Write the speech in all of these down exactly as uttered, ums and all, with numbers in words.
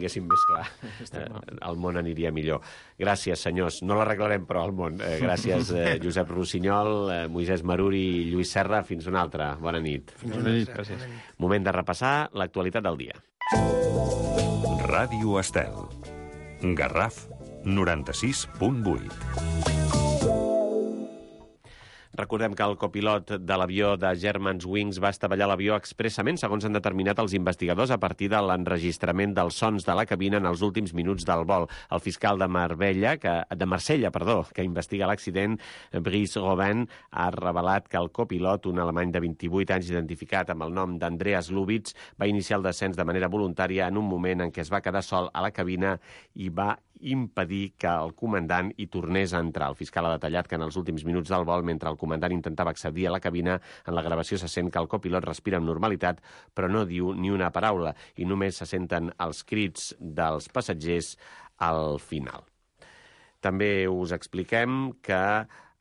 tinguéssim més clar, eh, el món aniria millor. Gràcies, senyors. No l'arreglarem, però, el món. Eh, gràcies, eh, Josep Rossinyol, eh, Moisès Maruri i Lluís Serra. Fins una altra. Bona nit. Fins una nit, gràcies. Moment de repassar l'actualitat del dia. Ràdio Estel. Garraf noranta-sis punt vuit. Recordem que el copilot de l'avió de Germanwings va estavellar l'avió expressament, segons han determinat els investigadors, a partir de l'enregistrament dels sons de la cabina en els últims minuts del vol. El fiscal de Marbella, que, de Marsella, perdó, que investiga l'accident, Brice Robin, ha revelat que el copilot, un alemany de vint-i-vuit anys identificat amb el nom d'Andreas Lubitz, va iniciar el descens de manera voluntària en un moment en què es va quedar sol a la cabina i va impedir que el comandant hi tornés a entrar. El fiscal ha detallat que en els últims minuts del vol, mentre el comandant intentava accedir a la cabina, en la gravació se sent que el copilot respira amb normalitat, però no diu ni una paraula, i només se senten els crits dels passatgers al final. També us expliquem que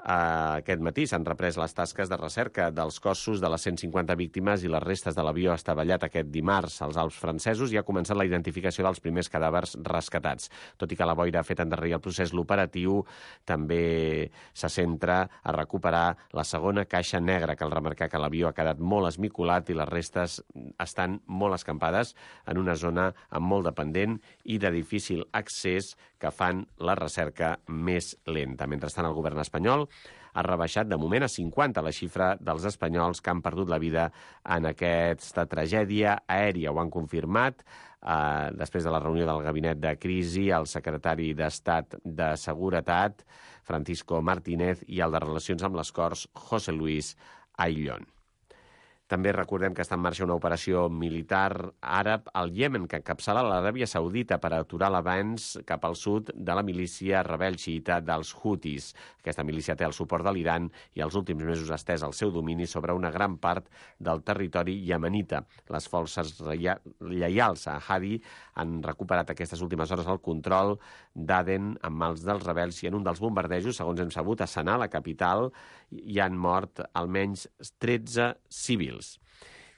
Uh, aquest matí s'han reprès les tasques de recerca dels cossos de les cent cinquanta víctimes i les restes de l'avió estavellat aquest dimarts als Alps francesos i ha començat la identificació dels primers cadàvers rescatats. Tot i que la boira ha fet endarrerir el procés, l'operatiu també se centra a recuperar la segona caixa negra. Cal remarcar que l'avió ha quedat molt esmicolat i les restes estan molt escampades en una zona amb molt de pendent i de difícil accés que fan la recerca més lenta. Mentrestant, el govern espanyol ha rebaixat de moment a cinquanta la xifra dels espanyols que han perdut la vida en aquesta tragèdia aèria. Ho han confirmat eh, després de la reunió del gabinet de crisi el secretari d'Estat de Seguretat, Francisco Martínez, i el de Relacions amb les Corts, José Luis Ayllón. També recordem que està en marxa una operació militar àrab al Iemen que encapçala l'Aràbia Saudita per aturar l'avanç cap al sud de la milícia rebel xiïta dels Houthis. Aquesta milícia té el suport de l'Iran i els últims mesos ha estès el seu domini sobre una gran part del territori iemenita. Les forces lleials a Hadi han recuperat aquestes últimes hores el control d'Aden en mans dels rebels i en un dels bombardejos, segons hem sabut, a Sanà, la capital, hi han mort almenys tretze civils.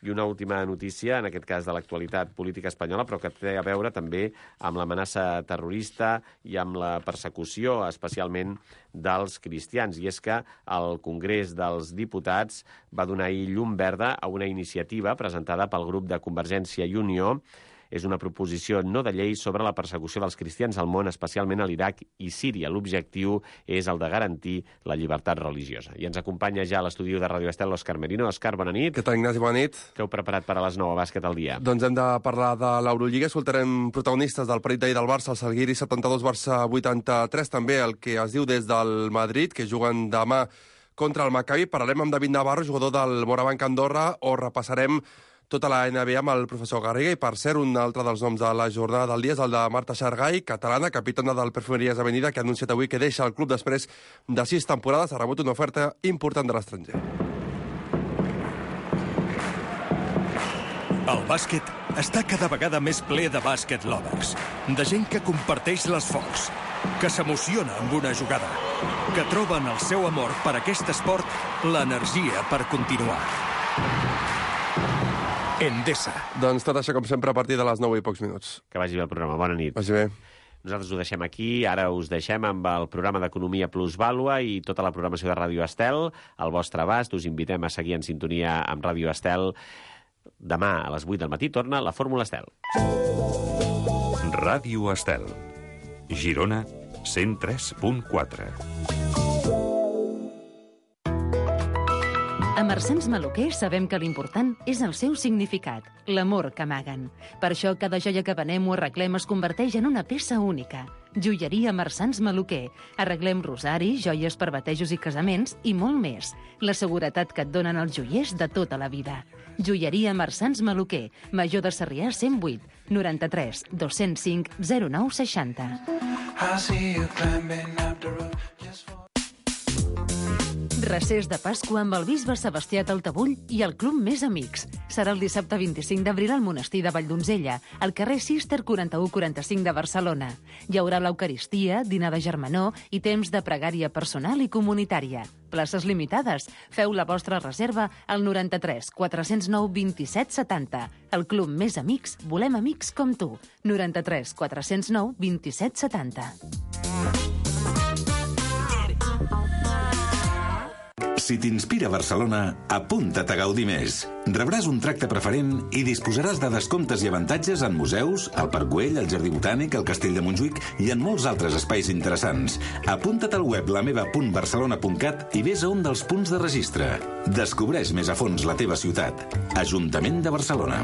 I una última notícia, en aquest cas de l'actualitat política espanyola, però que té a veure també amb l'amenaça terrorista i amb la persecució, especialment dels cristians. I és que el Congrés dels Diputats va donar ahir llum verda a una iniciativa presentada pel grup de Convergència i Unió. És una proposició no de llei sobre la persecució dels cristians al món, especialment a l'Iraq i Síria. L'objectiu és el de garantir la llibertat religiosa. I ens acompanya ja a l'estudi de Ràdio Estel l'Òscar Merino. Òscar, bona nit. Què tal, Ignasi? Bona nit. Què heu preparat per a les nou a bàsquet al dia? Doncs hem de parlar de l'Eurolliga. Escoltarem protagonistes del partit d'ahir del Barça, el Salguiri setanta-dos, Barça vuitanta-tres. També el que es diu des del Madrid, que juguen demà contra el Maccabi. Parlarem amb David Navarro, jugador del Morabanc Andorra, o repassarem tota la N B A amb el professor Garriga. I, per cert, un altre dels noms de la jornada del dia és el de Marta Xargai, catalana, capitana del Perfumeries Avenida, que ha anunciat avui que deixa el club després de sis temporades. Ha rebut una oferta important de l'estranger. El bàsquet està cada vegada més ple de bàsquet lovers, de gent que comparteix l'esforç, que s'emociona amb una jugada, que troba en el seu amor per aquest esport l'energia per continuar. Endesa. Doncs tot això, com sempre, a partir de les nou i pocs minuts. Que vagi bé el programa. Bona nit. Vagi bé. Nosaltres ho deixem aquí. Ara us deixem amb el programa d'Economia Plus Vàlua i tota la programació de Ràdio Estel al vostre abast. Us invitem a seguir en sintonia amb Ràdio Estel. Demà a les vuit del matí torna la Fórmula Estel. Ràdio Estel. Girona, cent tres punt quatre. A Marsans Maluquer sabem que l'important és el seu significat, l'amor que amaguen. Per això cada joia que venem o arreglem es converteix en una peça única. Joieria Marsans Maluquer. Arreglem rosaris, joies per batejos i casaments i molt més. La seguretat que et donen els joiers de tota la vida. Joieria Marsans Maluquer. Major de Sarrià cent vuit, noranta-tres, dos-cents cinc, zero nou seixanta. Recés de Pasqua amb el bisbe Sebastià Taltabull i el Club Més Amics. Serà el dissabte vint-i-cinc d'abril al monestir de Valldonzella, al carrer Cister quaranta-u quaranta-cinc de Barcelona. Hi haurà l'Eucaristia, dinar de germanor i temps de pregària personal i comunitària. Places limitades. Feu la vostra reserva al noranta-tres quatre-cents nou vint-i-set setanta. El Club Més Amics, volem amics com tu. noranta-tres quatre-cents nou vint-i-set setanta. Si t'inspira Barcelona, apunta't a gaudir més. Rebràs un tracte preferent i disposaràs de descomptes i avantatges en museus, al Parc Güell, al Jardí Botànic, al Castell de Montjuïc i en molts altres espais interessants. Apunta't al web lameva punt barcelona punt cat i vés a un dels punts de registre. Descobreix més a fons la teva ciutat. Ajuntament de Barcelona.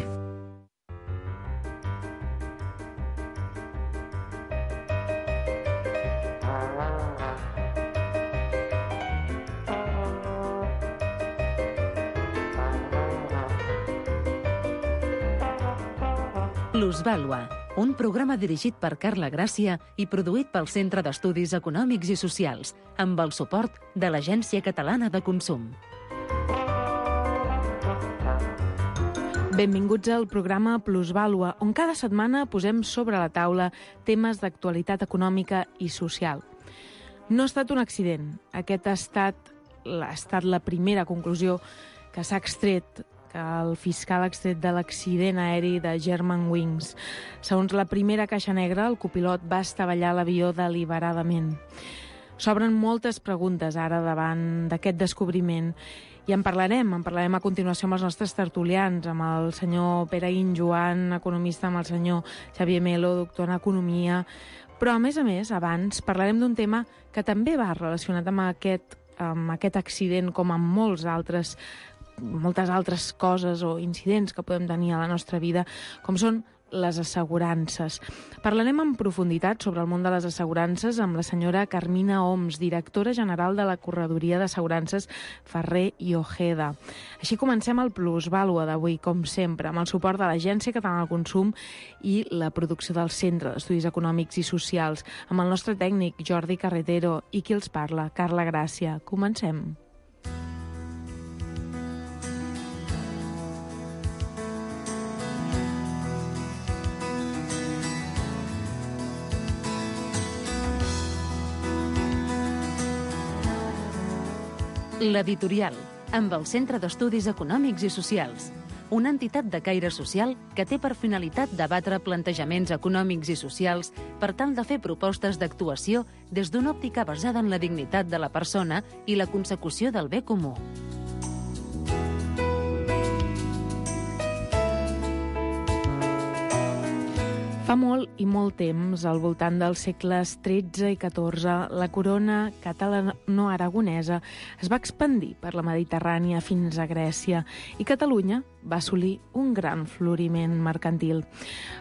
Plusvàlua, un programa dirigit per Carla Gràcia i produït pel Centre d'Estudis Econòmics i Socials, amb el suport de l'Agència Catalana de Consum. Benvinguts al programa Plusvàlua, on cada setmana posem sobre la taula temes d'actualitat econòmica i social. No ha estat un accident. Aquest ha estat, ha estat la primera conclusió que s'ha extret que el fiscal ha extret de l'accident aeri de Germanwings. Segons la primera caixa negra, el copilot va estavellar l'avió deliberadament. S'obren moltes preguntes ara davant d'aquest descobriment i en parlarem, en parlarem a continuació amb els nostres tertulians, amb el senyor Pere Guinjoan, economista, amb el senyor Xavier Melo, doctor en Economia. Però, a més a més, abans parlarem d'un tema que també va relacionat amb aquest, amb aquest accident, com amb molts altres moltes altres coses o incidents que podem tenir a la nostra vida, com són les assegurances. Parlarem en profunditat sobre el món de les assegurances amb la senyora Carmina Oms, directora general de la Corredoria d'Assegurances Ferrer i Ojeda. Així comencem el Plusvàlua d'avui, com sempre, amb el suport de l'Agència Catalana del Consum i la producció del Centre d'Estudis Econòmics i Socials, amb el nostre tècnic Jordi Carretero i qui els parla, Carla Gràcia. Comencem. L'Editorial, amb el Centre d'Estudis Econòmics i Socials, una entitat de caire social que té per finalitat debatre plantejaments econòmics i socials per tal de fer propostes d'actuació des d'una òptica basada en la dignitat de la persona i la consecució del bé comú. Fa molt i molt temps, al voltant dels segles tretze i catorze, la corona catalano-aragonesa es va expandir per la Mediterrània fins a Grècia i Catalunya va assolir un gran floriment mercantil.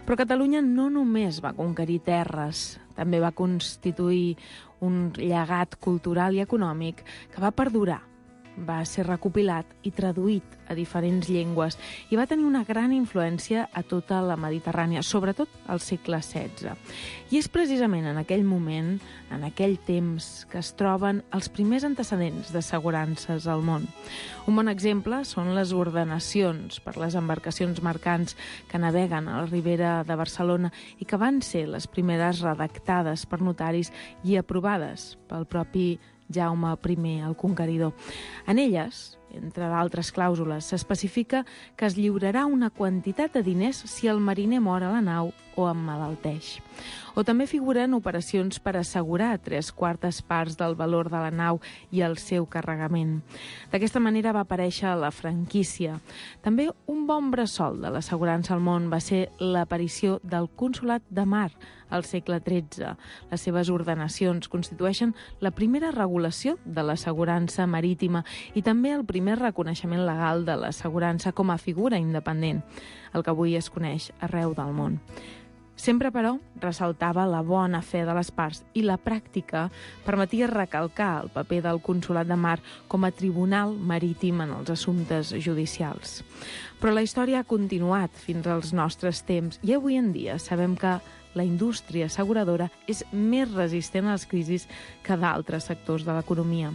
Però Catalunya no només va conquerir terres, també va constituir un llegat cultural i econòmic que va perdurar. Va ser recopilat i traduït a diferents llengües i va tenir una gran influència a tota la Mediterrània, sobretot al segle setze. I és precisament en aquell moment, en aquell temps, que es troben els primers antecedents d'assegurances al món. Un bon exemple són les ordenacions per les embarcacions mercants que naveguen a la ribera de Barcelona i que van ser les primeres redactades per notaris i aprovades pel propi Jaume I, el Conqueridor. En elles, entre d'altres clàusules, s'especifica que es lliurarà una quantitat de diners si el mariner mor a la nau o emmalalteix. O també figuren operacions per assegurar tres quartes parts del valor de la nau i el seu carregament. D'aquesta manera va aparèixer la franquícia. També un bon bressol de l'assegurança al món va ser l'aparició del Consolat de Mar al segle tretze. Les seves ordenacions constitueixen la primera regulació de l'assegurança marítima i també el primer reconeixement legal de l'assegurança com a figura independent, el que avui es coneix arreu del món. Sempre, però, ressaltava la bona fe de les parts i la pràctica permetia recalcar el paper del Consolat de Mar com a tribunal marítim en els assumptes judicials. Però la història ha continuat fins als nostres temps i avui en dia sabem que la indústria asseguradora és més resistent a les crisis que d'altres sectors de l'economia.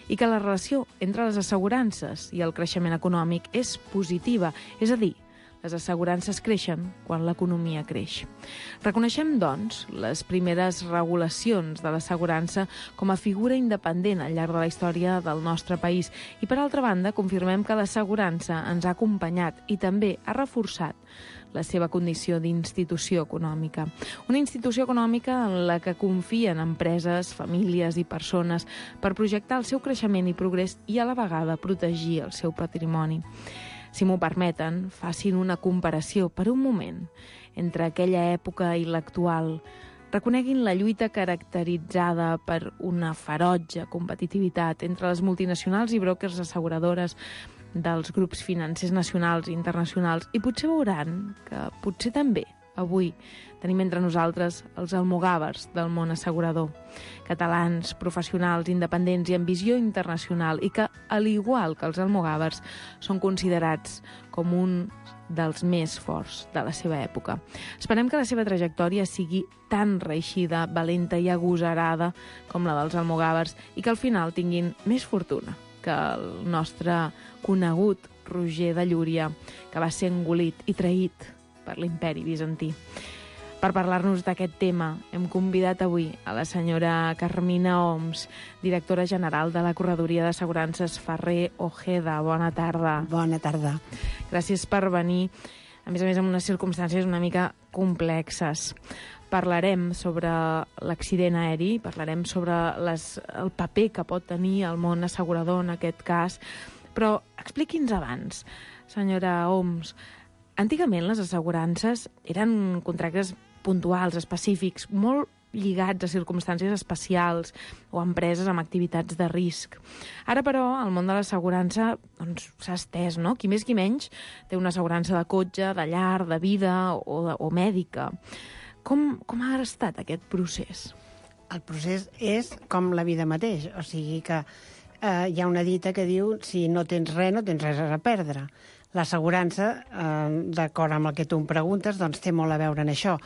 i que la relació entre les assegurances i el creixement econòmic és positiva, és a dir, les assegurances creixen quan l'economia creix. Reconeixem, doncs, les primeres regulacions de l'assegurança com a figura independent al llarg de la història del nostre país i, per altra banda, confirmem que l'assegurança ens ha acompanyat i també ha reforçat la seva condició d'institució econòmica. Una institució econòmica en la que confien empreses, famílies i persones per projectar el seu creixement i progrés i, a la vegada, protegir el seu patrimoni. Si m'ho permeten, facin una comparació per un moment entre aquella època i l'actual. Reconeguin la lluita caracteritzada per una ferotge competitivitat entre les multinacionals i brokers asseguradores dels grups financers nacionals i internacionals i potser veuran que potser també avui tenim entre nosaltres els almogàvers del món assegurador, catalans, professionals, independents i amb visió internacional i que, al igual que els almogàvers, són considerats com un dels més forts de la seva època. Esperem que la seva trajectòria sigui tan reeixida, valenta i agosarada com la dels almogàvers i que al final tinguin més fortuna que el nostre conegut Roger de Llúria, que va ser engolit i traït per l'imperi bizantí. Per parlar-nos d'aquest tema, hem convidat avui a la senyora Carmina Oms, directora general de la Corredoria d'Assegurances Ferrer Ojeda. Bona tarda. Bona tarda. Gràcies per venir, a més a més en unes circumstàncies una mica complexes. Parlarem sobre l'accident aeri, parlarem sobre les, el paper que pot tenir el món assegurador en aquest cas, però expliqui'ns abans, senyora Oms, antigament les assegurances eren contractes puntuals, específics, molt lligats a circumstàncies especials o a empreses amb activitats de risc. Ara, però, el món de l'assegurança doncs, s'ha estès, no? Qui més qui menys té una assegurança de cotxe, de llar, de vida o, de, o mèdica. Com, com ha estat aquest procés? El procés és com la vida mateix, o sigui que eh, hi ha una dita que diu si no tens res, no tens res a perdre. L'assegurança, eh, d'acord amb el que tu em preguntes, doncs té molt a veure en això.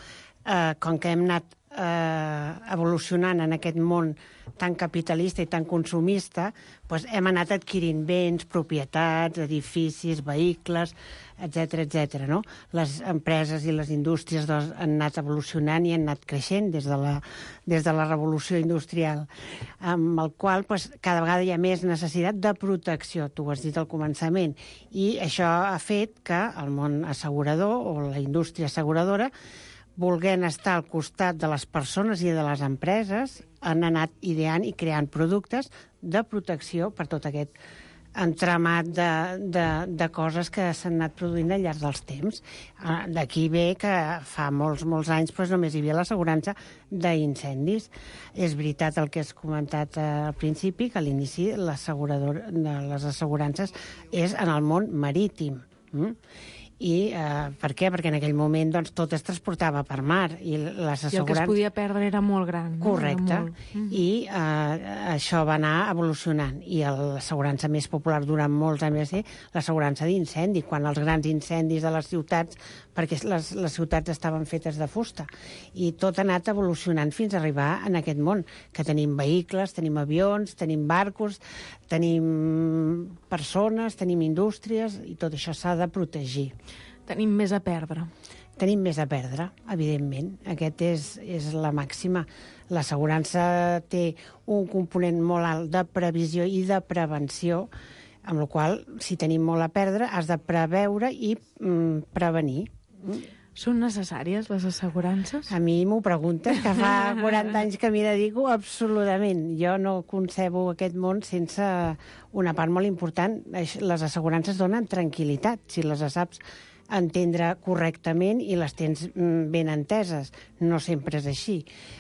Eh, com que hem anat eh, evolucionant en aquest món tan capitalista i tan consumista, doncs hem anat adquirint béns, propietats, edificis, vehicles, etcètera, etcètera, no? Les empreses i les indústries doncs, han anat evolucionant i han anat creixent des de la, des de la revolució industrial, amb el qual doncs, cada vegada hi ha més necessitat de protecció, tu ho has dit al començament, i això ha fet que el món assegurador o la indústria asseguradora, volent estar al costat de les persones i de les empreses, han anat ideant i creant productes de protecció per tot aquest entramat de, de, de coses que s'han anat produint al llarg dels temps. D'aquí ve que fa molts, molts anys doncs, només hi havia l'assegurança d'incendis. És veritat el que has comentat al principi, que a l'inici l'assegurador de les assegurances és en el món marítim. Mm? I eh, per què? Perquè en aquell moment doncs, tot es transportava per mar i les assegurances... I el que es podia perdre era molt gran. No? Correcte. Molt... Mm-hmm. I eh, això va anar evolucionant. I l'assegurança més popular durant molts anys va ser l'assegurança d'incendi, quan els grans incendis de les ciutats, perquè les, les ciutats estaven fetes de fusta. I tot ha anat evolucionant fins a arribar en aquest món, que tenim vehicles, tenim avions, tenim barcos, tenim persones, tenim indústries, i tot això s'ha de protegir. Tenim més a perdre. Tenim més a perdre, evidentment. Aquest és, és la màxima. L'assegurança té un component molt alt de previsió i de prevenció, amb la qual, si tenim molt a perdre, has de preveure i mm, prevenir. Són necessàries les assegurances? A mi m'ho preguntes, que fa quaranta anys que m'hi dedico, absolutament. Jo no concebo aquest món sense una part molt important. Les assegurances donen tranquil·litat, si les saps entendre correctament i les tens ben enteses. No sempre és així.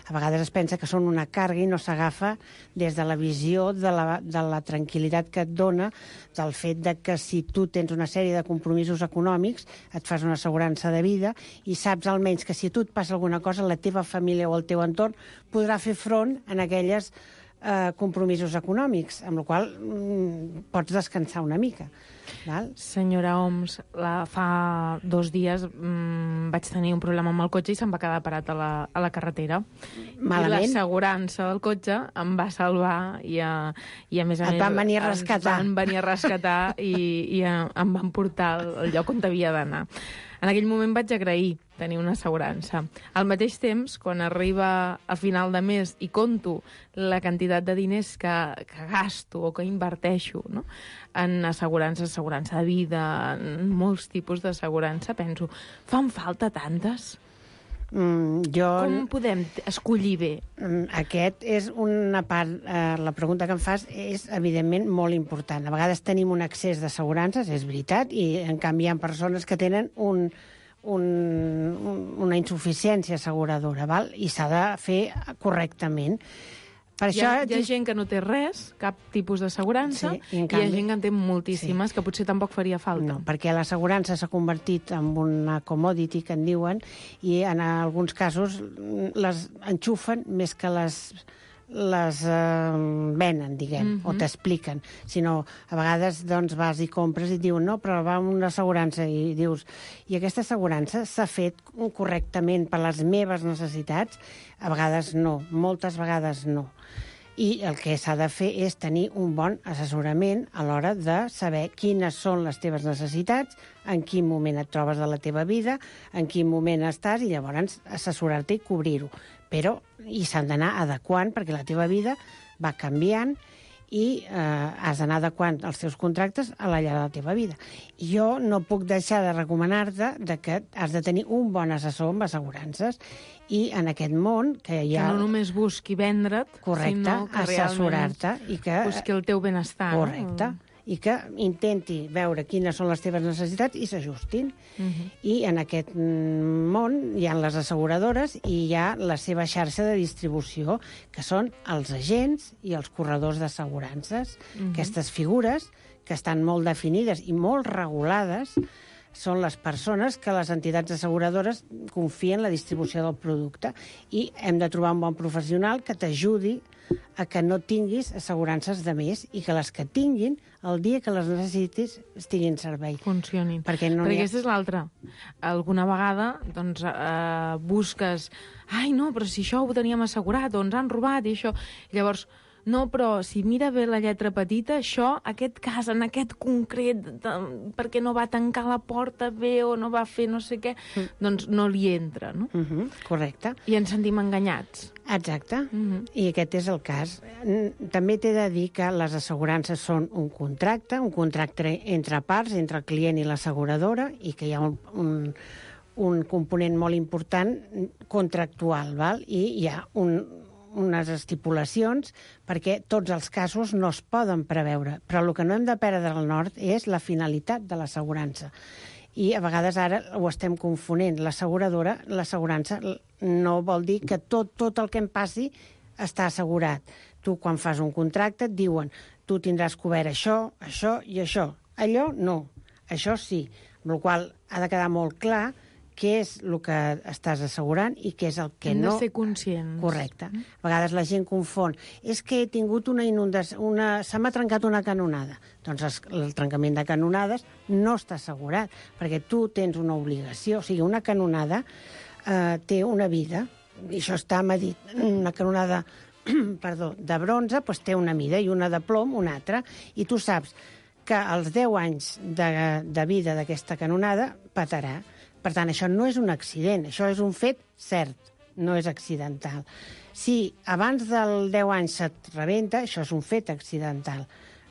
A vegades es pensa que són una càrrega i no s'agafa des de la visió de la, de la tranquil·litat que et dona, del fet de que si tu tens una sèrie de compromisos econòmics, et fas una assegurança de vida i saps almenys que si a tu et passa alguna cosa, la teva família o el teu entorn podrà fer front en aquelles eh, compromisos econòmics, amb la qual cosa mm, pots descansar una mica. Val? Senyora Oms, la, fa dos dies mmm, vaig tenir un problema amb el cotxe i se'm va quedar parat a la, a la carretera. Malament. I l'assegurança del cotxe em va salvar i a, i a més a Et més... van venir a rescatar. Ens van venir a rescatar i, i a, em van portar al lloc on havia d'anar. En aquell moment vaig agrair tenir una assegurança. Al mateix temps, quan arriba a final de mes i conto la quantitat de diners que, que gasto o que inverteixo, no?, en assegurança, assegurança de vida, en molts tipus d'assegurança, penso, fan falta tantes? Mm, jo... Com podem escollir bé? Aquest és una part... Eh, la pregunta que em fas és, evidentment, molt important. A vegades tenim un excés d'assegurances, és veritat, i, en canvi, hi ha persones que tenen un, un, una insuficiència asseguradora, val? I s'ha de fer correctament. Per hi, ha, això... hi ha gent que no té res, cap tipus d'assegurança, sí, i, i canvi... hi ha gent que en té moltíssimes, sí, que potser tampoc faria falta. No, perquè l'assegurança s'ha convertit en una commodity, que en diuen, i en alguns casos les enxufen més que les les eh, venen, diguem, mm -hmm. o t'expliquen. Sinó, a vegades, doncs, vas i compres i et diuen, no, però va amb una assegurança, i dius, i aquesta assegurança s'ha fet correctament per les meves necessitats? A vegades no, moltes vegades no. I el que s'ha de fer és tenir un bon assessorament a l'hora de saber quines són les teves necessitats, en quin moment et trobes de la teva vida, en quin moment estàs, i llavors assessorar-te i cobrir-ho. Però i s'han d'anar adequant, perquè la teva vida va canviant i eh, has d'anar adequant els teus contractes a la llar de la teva vida. I jo no puc deixar de recomanar-te de que has de tenir un bon assessor amb assegurances, i en aquest món que hi ha... Que no només busqui vendre't, correcte, sinó que assessorar-te i que busqui el teu benestar. Correcte. No? I que intenti veure quines són les teves necessitats i s'ajustin. Uh -huh. I en aquest món hi ha les asseguradores i hi ha la seva xarxa de distribució, que són els agents i els corredors d'assegurances. Uh -huh. Aquestes figures, que estan molt definides i molt regulades, són les persones que les entitats asseguradores confien en la distribució del producte, i hem de trobar un bon professional que t'ajudi a que no tinguis assegurances de més i que les que tinguin, el dia que les necessitis, estiguin en servei. Funcionin. Perquè, no Perquè ha... aquesta és l'altra. Alguna vegada doncs, eh, busques... Ai, no, però si això ho teníem assegurat, o ens han robat, i això... Llavors, no, però si mira bé la lletra petita, això, aquest cas, en aquest concret, de, perquè no va tancar la porta bé o no va fer no sé què, mm. doncs no li entra, no? Uh -huh, correcte. I ens sentim enganyats. Exacte. Uh -huh. I aquest és el cas. També t'he de dir que les assegurances són un contracte, un contracte entre parts, entre el client i l'asseguradora, i que hi ha un, un, un component molt important contractual, val? I hi ha un unes estipulacions, perquè tots els casos no es poden preveure. Però el que no hem de perdre el nord és la finalitat de l'assegurança. I a vegades ara ho estem confonent. L'asseguradora, l'assegurança no vol dir que tot, tot el que em passi està assegurat. Tu, quan fas un contracte, et diuen tu tindràs cobert això, això i això. Allò, no. Això sí. Amb la qual cosa ha de quedar molt clar què és el que estàs assegurant i què és el que Hem no... de ser conscients. Correcte. A vegades la gent confon. És que he tingut una inundació, una... se m'ha trencat una canonada. Doncs el trencament de canonades no està assegurat, perquè tu tens una obligació. O sigui, una canonada eh, té una vida, i això està medit. Una canonada perdó, de bronze doncs té una mida, i una de plom una altra, i tu saps que als deu anys de, de vida d'aquesta canonada petarà. Per tant, això no és un accident, això és un fet cert, no és accidental. Si abans del deu anys se't rebenta, això és un fet accidental.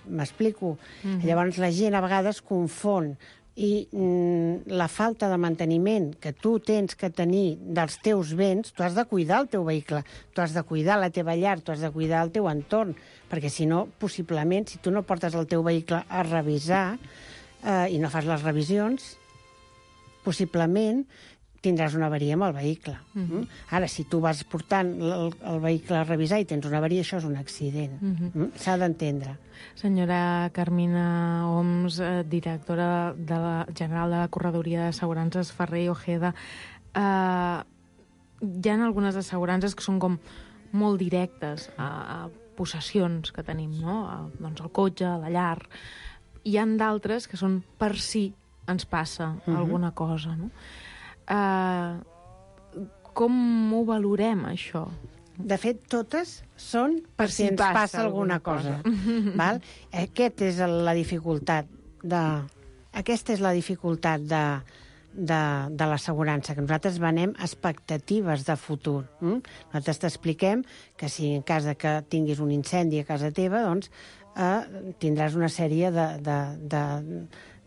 M'explico? Mm-hmm. Llavors la gent a vegades confon, i mm, la falta de manteniment que tu tens que tenir dels teus béns, tu has de cuidar el teu vehicle, tu has de cuidar la teva llar, tu has de cuidar el teu entorn, perquè si no, possiblement, si tu no portes el teu vehicle a revisar eh, i no fas les revisions, possiblement tindràs una avaria amb el vehicle. Mm-hmm. Mm? Ara, si tu vas portant el, el vehicle a revisar i tens una avaria, això és un accident. Mm-hmm. Mm? S'ha d'entendre. Senyora Carmina Oms, eh, directora de la general de la Corredoria d'Assegurances Ferrer i Ojeda, eh, hi ha algunes assegurances que són com molt directes a, a possessions que tenim, no? El, doncs el cotxe, la llar. Hi han d'altres que són per si ens passa uh-huh. alguna cosa, no? Uh, com ho valorem, això? De fet, totes són per si ens passa, passa alguna cosa. cosa. Val? Aquest és la dificultat de... Aquesta és la dificultat de, de, de l'assegurança, que nosaltres venem expectatives de futur. Mm? Nosaltres t'expliquem que si en cas de que tinguis un incendi a casa teva, doncs eh, tindràs una sèrie de, de, de,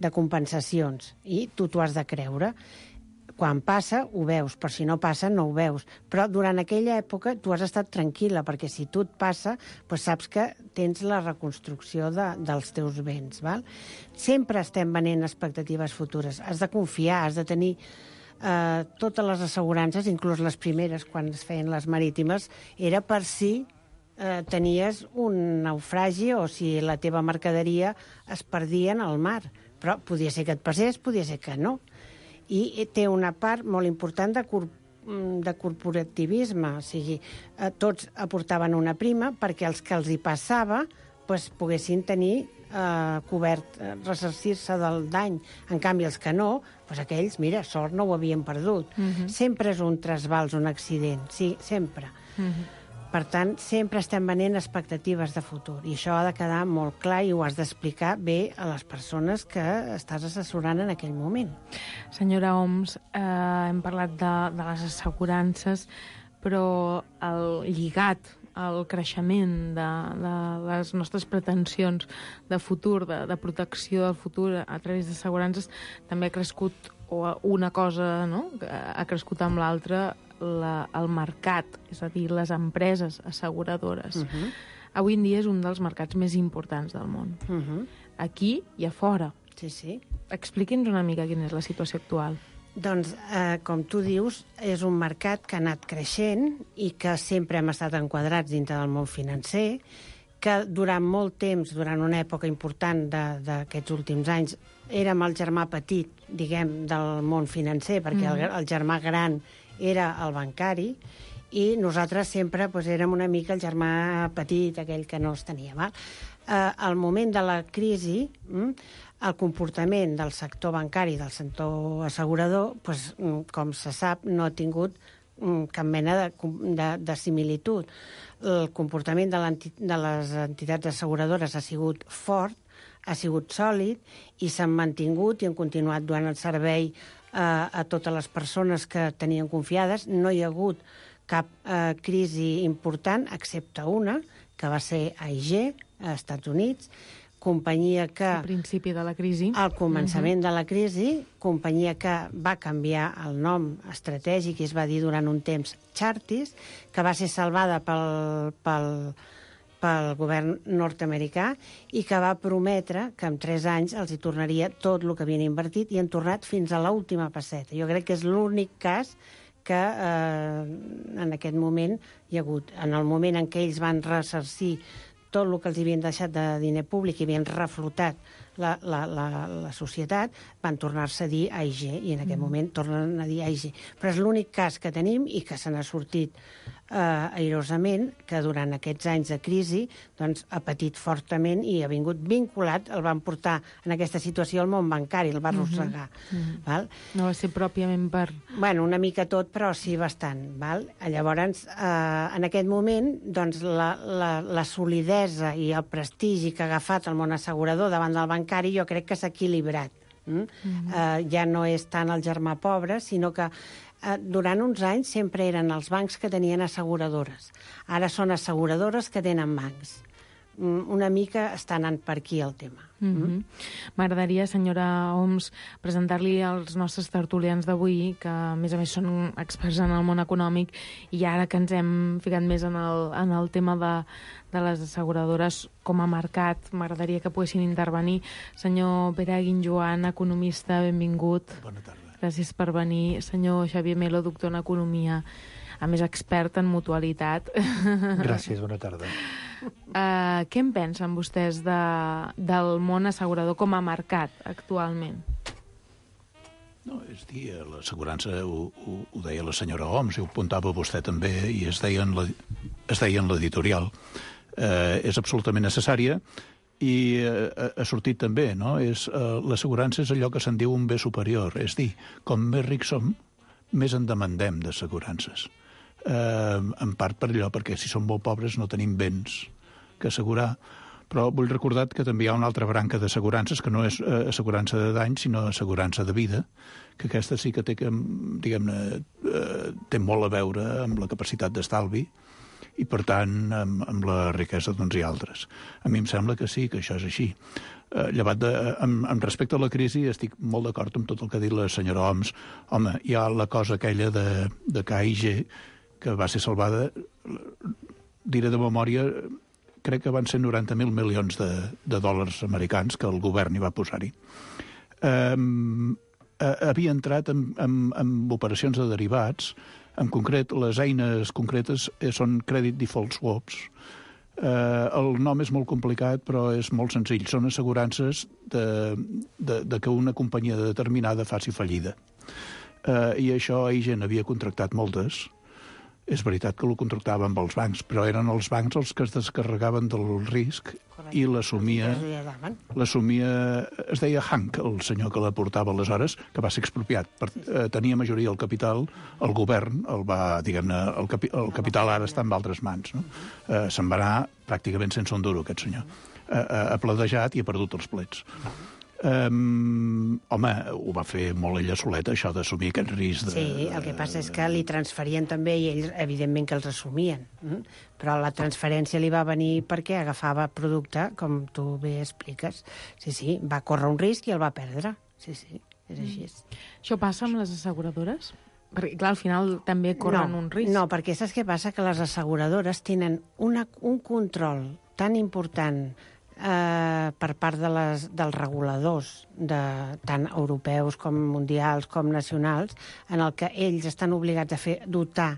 de compensacions i tu t'ho has de creure. Quan passa, ho veus, però si no passa, no ho veus. Però durant aquella època tu has estat tranquil·la, perquè si tu et passa, doncs saps que tens la reconstrucció de, dels teus béns. Val? Sempre estem venent expectatives futures. Has de confiar, has de tenir eh, totes les assegurances, inclús les primeres, quan es feien les marítimes, era per si eh, tenies un naufragi o si la teva mercaderia es perdia en el mar. Però podia ser que et passés, podia ser que no. I té una part molt important de, cor de corporativisme, o sigui, eh, tots aportaven una prima perquè els que els hi passava pues, poguessin tenir eh, cobert, eh, ressarcir-se del dany. En canvi, els que no, pues, aquells, mira, sort no ho havien perdut. Uh-huh. Sempre és un trasbals, un accident, sí, sempre. Uh-huh. Per tant, sempre estem venent expectatives de futur. I això ha de quedar molt clar i ho has d'explicar bé a les persones que estàs assessorant en aquell moment. Senyora Homs, eh, hem parlat de, de les assegurances, però el lligat al creixement de, de les nostres pretensions de futur, de, de protecció del futur a través d'assegurances, també ha crescut, o una cosa no? ha crescut amb l'altra, La, el mercat, és a dir, les empreses asseguradores. Uh-huh. Avui en dia és un dels mercats més importants del món. Uh-huh. Aquí i a fora. Sí, sí. Expliqui'ns una mica quina és la situació actual. Doncs, eh, com tu dius, és un mercat que ha anat creixent i que sempre hem estat enquadrats dintre del món financer, que durant molt temps, durant una època important d'aquests últims anys, érem el germà petit, diguem, del món financer, perquè mm. el, el germà gran era el bancari, i nosaltres sempre doncs, érem una mica el germà petit, aquell que no els tenia. Val? Eh, al moment de la crisi, mm, el comportament del sector bancari, del sector assegurador, doncs, com se sap, no ha tingut mm, cap mena de, de, de similitud. El comportament de, de les entitats asseguradores ha sigut fort, ha sigut sòlid, i s'han mantingut i han continuat donant el servei a, a totes les persones que tenien confiades. No hi ha hagut cap eh, crisi important, excepte una, que va ser A I G, a Estats Units, companyia que... Al principi de la crisi. Al començament uh-huh. de la crisi, companyia que va canviar el nom estratègic i es va dir durant un temps Chartis, que va ser salvada pel... pel pel govern nord-americà i que va prometre que en tres anys els hi tornaria tot el que havien invertit i han tornat fins a l'última passeta. Jo crec que és l'únic cas que eh, en aquest moment hi ha hagut. En el moment en què ells van ressarcir tot el que els havien deixat de diner públic i havien reflotat la, la, la, la societat, van tornar-se a dir A I G, i en aquest mm. moment tornen a dir A I G. Però és l'únic cas que tenim i que se n'ha sortit eh, airosament, que durant aquests anys de crisi doncs, ha patit fortament i ha vingut vinculat, el van portar en aquesta situació al món bancari, el va arrossegar. Mm-hmm. Val? No va ser pròpiament per... Bueno, una mica tot, però sí bastant. Val? Llavors, eh, en aquest moment, doncs, la, la, la solidesa i el prestigi que ha agafat el món assegurador davant del bancari jo crec que s'ha equilibrat. Mm? Mm-hmm. eh, ja no és tant el germà pobre, sinó que eh, durant uns anys sempre eren els bancs que tenien asseguradores. Ara són asseguradores que tenen bancs. Mm, una mica està anant per aquí el tema. Mm-hmm. M'agradaria, senyora Homs, presentar-li als nostres tertulians d'avui, que a més a més són experts en el món econòmic, i ara que ens hem ficat més en el, en el tema de, de les asseguradores com a mercat, m'agradaria que poguessin intervenir. Senyor Pere Guinjoan, economista, benvingut. Bona tarda. Gràcies per venir. Senyor Xavier Melo, doctor en economia, a més expert en mutualitat. Gràcies, bona tarda. Uh, què en pensen vostès de, del món assegurador com a mercat actualment? No, és dir, l'assegurança ho, ho, ho deia la senyora Homs i ho apuntava vostè també, i es deia en la, es deia en l'editorial. eh, és absolutament necessària i eh, ha sortit també, no? És, eh, l'assegurança és allò que se'n diu un bé superior, és dir, com més rics som, més en demandem d'assegurances. Eh, en part per allò, perquè si som molt pobres no tenim béns que assegurar, però vull recordar que també hi ha una altra branca d'assegurances, que no és eh, assegurança de dany, sinó assegurança de vida, que aquesta sí que té, que, diguem-ne, eh, té molt a veure amb la capacitat d'estalvi i, per tant, amb, amb la riquesa d'uns i altres. A mi em sembla que sí, que això és així. Eh, llevat de, amb, amb respecte a la crisi, estic molt d'acord amb tot el que ha dit la senyora Oms. Home, hi ha la cosa aquella de, de K I G, que va ser salvada, diré de memòria, crec que van ser noranta mil milions de, de dòlars americans que el govern hi va posar-hi. Um, havia entrat en, en, en operacions de derivats. En concret, les eines concretes són Credit Default Swaps. Uh, el nom és molt complicat, però és molt senzill. Són assegurances de, de, de que una companyia determinada faci fallida. Uh, I això ahir gent havia contractat moltes. És veritat que ho contractava amb els bancs, però eren els bancs els que es descarregaven del risc i l'assumia... L'assumia... Es deia Hank, el senyor que la portava aleshores, que va ser expropiat. Per, eh, tenia majoria del capital, el govern el va, diguem-ne, el, capi, el capital ara està en altres mans. No? Eh, se'n va anar pràcticament sense un duro, aquest senyor. Eh, eh, ha pledejat i ha perdut els plets. Um, home, ho va fer molt ella soleta, això d'assumir aquest risc. De, sí, el que passa és que li transferien també i ells, evidentment, que els assumien. Mm? Però la transferència li va venir perquè agafava producte, com tu bé expliques. Sí, sí, va córrer un risc i el va perdre. Sí, sí, és així. Mm. Això passa amb les asseguradores? Perquè, clar, al final també corren no, un risc. No, perquè saps què passa? Que les asseguradores tenen una, un control tan important Eh, per part de les, dels reguladors, de, tant europeus com mundials com nacionals, en el que ells estan obligats a fer dotar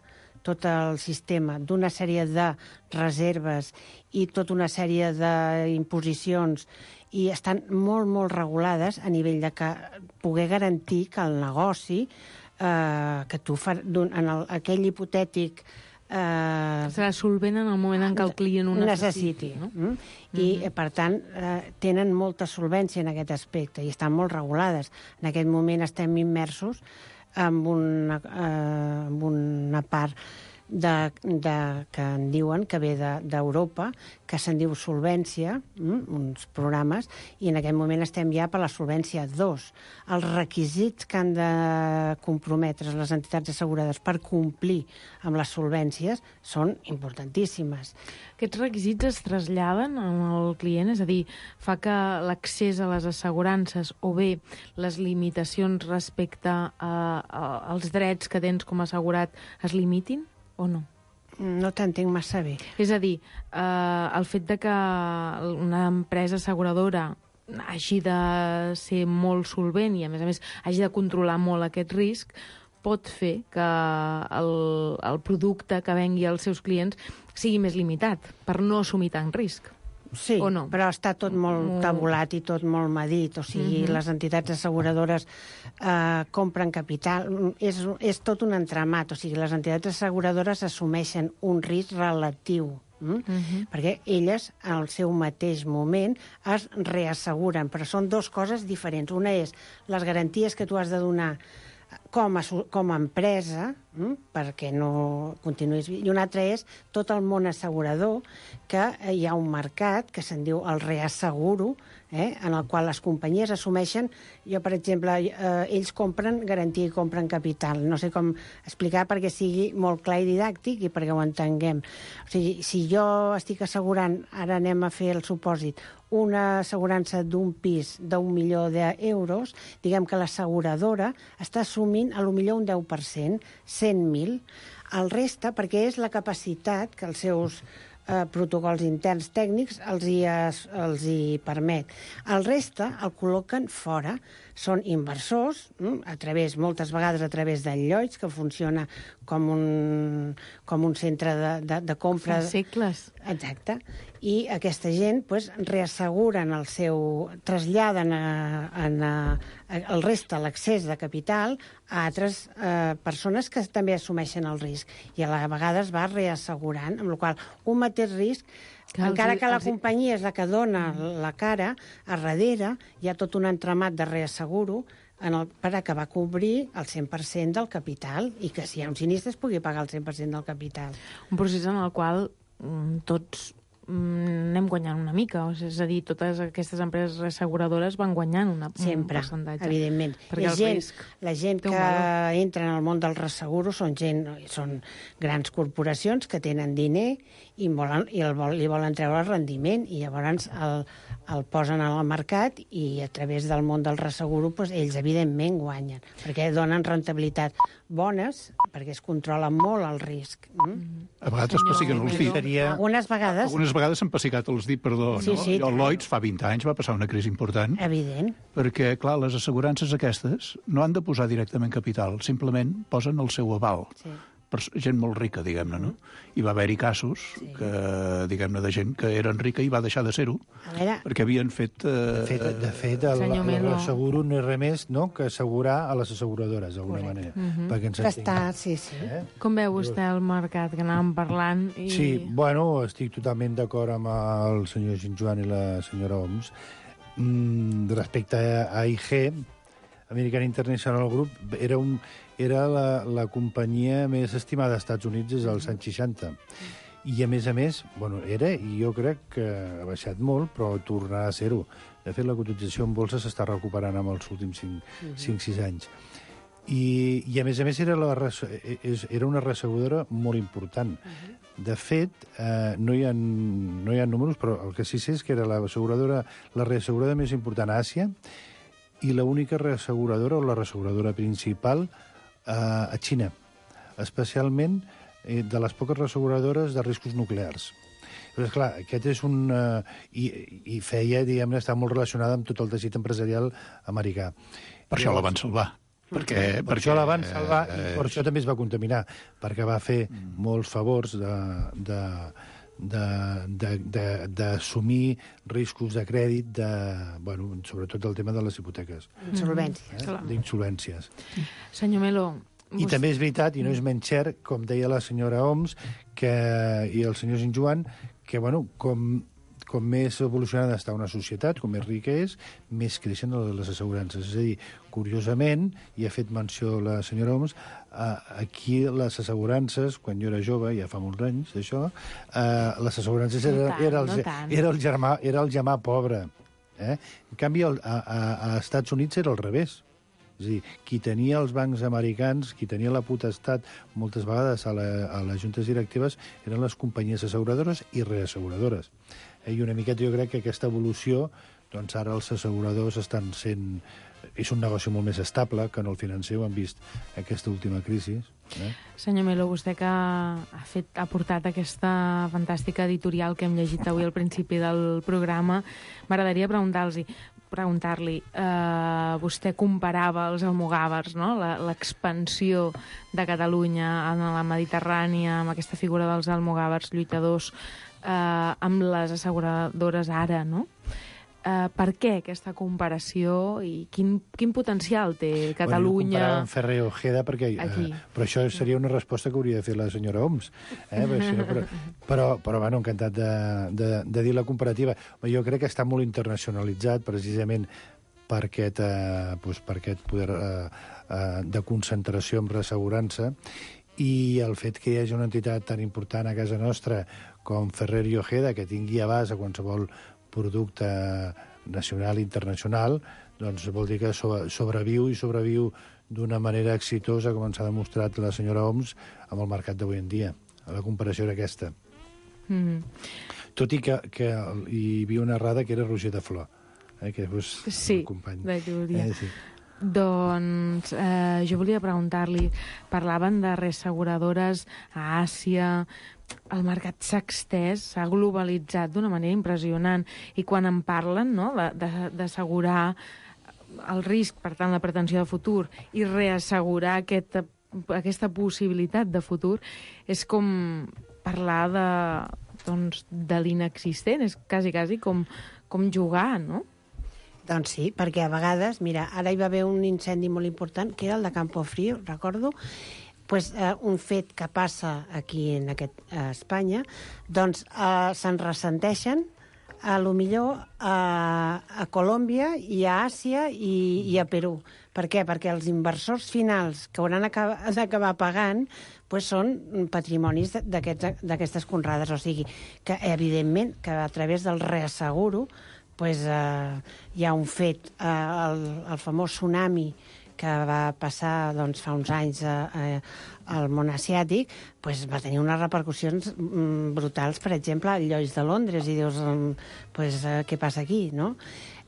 tot el sistema d'una sèrie de reserves i tota una sèrie d'imposicions, i estan molt, molt regulades a nivell de que poder garantir que el negoci eh, que tu fas en el, aquell hipotètic Eh, serà solvent en el moment en què el client ho necessiti. necessiti no? mm? I, mm-hmm. per tant, eh, tenen molta solvència en aquest aspecte i estan molt regulades. En aquest moment estem immersos en una, eh, en una part de, de, que en diuen que ve d'Europa, de, que se'n diu Solvència, mm, uns programes, i en aquest moment estem ja per la Solvència dos. Els requisits que han de comprometre les entitats assegurades per complir amb les solvències són importantíssimes. Aquests requisits es traslladen al client? És a dir, fa que l'accés a les assegurances o bé les limitacions respecte a, a, als drets que tens com a assegurat es limitin o no? No t'entenc massa bé. És a dir, eh, el fet de que una empresa asseguradora hagi de ser molt solvent i, a més a més, hagi de controlar molt aquest risc, pot fer que el, el producte que vengui als seus clients sigui més limitat per no assumir tant risc. Sí, no? Però està tot molt tabulat i tot molt medit. O sigui, uh-huh. les entitats asseguradores eh, compren capital. És, és tot un entramat. O sigui, les entitats asseguradores assumeixen un risc relatiu. Mm? Uh-huh. Perquè elles, al seu mateix moment, es reasseguren. Però són dues coses diferents. Una és les garanties que tu has de donar com a, com a empresa, mm, perquè no continuïs... I una altra és tot el món assegurador, que hi ha un mercat que se'n diu el reasseguro, eh, en el qual les companyies assumeixen... Jo, per exemple, eh, ells compren garantia i compren capital. No sé com explicar perquè sigui molt clar i didàctic i perquè ho entenguem. O sigui, si jo estic assegurant, ara anem a fer el supòsit, una assegurança d'un pis d'un milió d'euros, diguem que l'asseguradora està assumint a lo millor un deu per cent, cent mil. El resta, perquè és la capacitat que els seus eh, protocols interns tècnics els hi, els hi permet. El resta el col·loquen fora. Són inversors, hm, a través, moltes vegades a través del Lloyds, que funciona com un, com un centre de, de, de compra... Fa segles. Exacte. I aquesta gent pues, reasseguren el seu... traslladen a, a, a, el reste, l'accés de capital, a altres eh, persones que també assumeixen el risc. I a la vegada es va reassegurant, amb la qual un mateix risc Que Encara els, que la els... companyia és la que dona la cara, a darrere hi ha tot un entramat de reasseguro en el, per acabar a cobrir el cent per cent del capital i que si hi ha un sinistre es pugui pagar el cent per cent del capital. Un procés en el qual mm, tots anem guanyant una mica, és a dir, totes aquestes empreses reasseguradores van guanyant una, Sempre, un percentatge. Evidentment. La gent, la gent que entra en el món del reasseguro són gent, són grans corporacions que tenen diner i, volen, i el vol, li volen treure el rendiment i llavors el, el posen al mercat i a través del món del reasseguro doncs, ells evidentment guanyen, perquè donen rentabilitat bones, perquè es controla molt el risc. Mm? A vegades es pessiguen els dits. Algunes vegades... Algunes vegades s'han pessigat els dits, perdó. Sí, no? sí. El Lloyds fa vint anys va passar una crisi important. Evident. Perquè, clar, les assegurances aquestes no han de posar directament capital, simplement posen el seu aval. Sí. Per gent molt rica, diguem-ne, no? I va haver-hi casos, sí. que, diguem-ne, de gent que eren rica i va deixar de ser-ho, perquè havien fet... Eh... De fet, de fet el, el asseguro no és res més no, que assegurar a les asseguradores, d'alguna manera. Mm-hmm. Perquè ens Està, sí, sí. Eh? Com veu vostè el mercat que anàvem parlant? I... Sí, bueno, estic totalment d'acord amb el senyor Ginjoan i la senyora Oms. Mm, respecte a I G, American International Group, era un... era la, la companyia més estimada als Estats Units des dels anys seixanta. I, a més a més, bueno, era, i jo crec que ha baixat molt, però tornarà a ser-ho. De fet, la cotització en bolsa s'està recuperant amb els últims cinc sis anys. I, I, a més a més, era, la, era una reasseguradora molt important. De fet, eh, no, hi ha, no hi ha números, però el que sí sé és que era la asseguradora, la reasseguradora més important a Àsia i l'única reasseguradora o la reasseguradora principal a Xina, especialment eh, de les poques reasseguradores de riscos nuclears. Però, esclar, aquest és un... Eh, i, I feia, diguem-ne, està molt relacionada amb tot el teixit empresarial americà. Per això la van salvar. Perquè, per perquè, això la van salvar eh, i per això també es va contaminar, perquè va fer mm. molts favors de... de d'assumir riscos de crèdit, de, bueno, sobretot el tema de les hipoteques. Insolvències. Eh? D'insolvències. Senyor Melo... I vos... també és veritat, i no és menys cert, com deia la senyora Oms que, i el senyor Ginjoan, que, bueno, com, com més evolucionada està una societat, com més rica és, més creixen les assegurances. És a dir, curiosament, i ha fet menció la senyora Oms, aquí les assegurances, quan jo era jove, ja fa molts anys d'això, les assegurances era, era, el, era, el germà, era el germà pobre. Eh? En canvi, a, a, a Estats Units era al revés. És a dir, qui tenia els bancs americans, qui tenia la potestat moltes vegades a, la, a les juntes directives, eren les companyies asseguradores i reasseguradores. Eh? I una miqueta jo crec que aquesta evolució, doncs ara els asseguradors estan sent... És un negoci molt més estable que en el financer, ho han vist aquesta última crisi. Eh? Senyor Melo, vostè que ha, fet, ha portat aquesta fantàstica editorial que hem llegit avui al principi del programa, m'agradaria preguntar-li, preguntar-li eh, vostè comparava els almogàvers, no? L'expansió de Catalunya en la Mediterrània, amb aquesta figura dels almogàvers lluitadors, eh, amb les asseguradores ara, no? Uh, per què aquesta comparació i quin, quin potencial té Catalunya? Bueno, jo amb Ferrer Ojeda, perquè, uh, però això seria una resposta que hauria de fer la senyora Oms. Eh? però, però, però, però bueno, encantat de, de, de dir la comparativa. Jo crec que està molt internacionalitzat precisament per aquest, uh, doncs per aquest poder uh, uh, de concentració amb reassegurança i el fet que hi hagi una entitat tan important a casa nostra com Ferrer i Ojeda, que tingui abast a qualsevol producte nacional i internacional, doncs vol dir que sobreviu i sobreviu d'una manera exitosa, com ens ha demostrat la senyora Oms, amb el mercat d'avui en dia. La comparació era aquesta. Mm-hmm. Tot i que, que hi havia una errada que era Roger de Flor, eh, que és sí, el company. de Llúria. Eh, sí. Doncs eh, jo volia preguntar-li, parlaven de reasseguradores a Àsia, el mercat s'ha extès, s'ha globalitzat d'una manera impressionant, i quan en parlen, no?, d'assegurar el risc, per tant, la pretensió de futur, i reassegurar aquesta, aquesta possibilitat de futur, és com parlar de, doncs, de l'inexistent, és quasi, quasi com, com jugar, no? Doncs sí, perquè a vegades, mira, ara hi va haver un incendi molt important, que era el de Campo Frío, recordo, pues, eh, un fet que passa aquí en aquest, a Espanya, doncs eh, se'n ressenteixen a lo millor a, a Colòmbia i a Àsia i, i a Perú. Per què? Perquè els inversors finals que hauran d'acabar pagant pues, són patrimonis d'aquestes conrades. O sigui, que evidentment que a través del reasseguro pues, eh, hi ha un fet, eh, el, el famós tsunami que va passar doncs, fa uns anys eh, al món asiàtic, pues, va tenir unes repercussions mm, brutals, per exemple, al Lloyd's de Londres, i dius, mm, pues, eh, què passa aquí, no?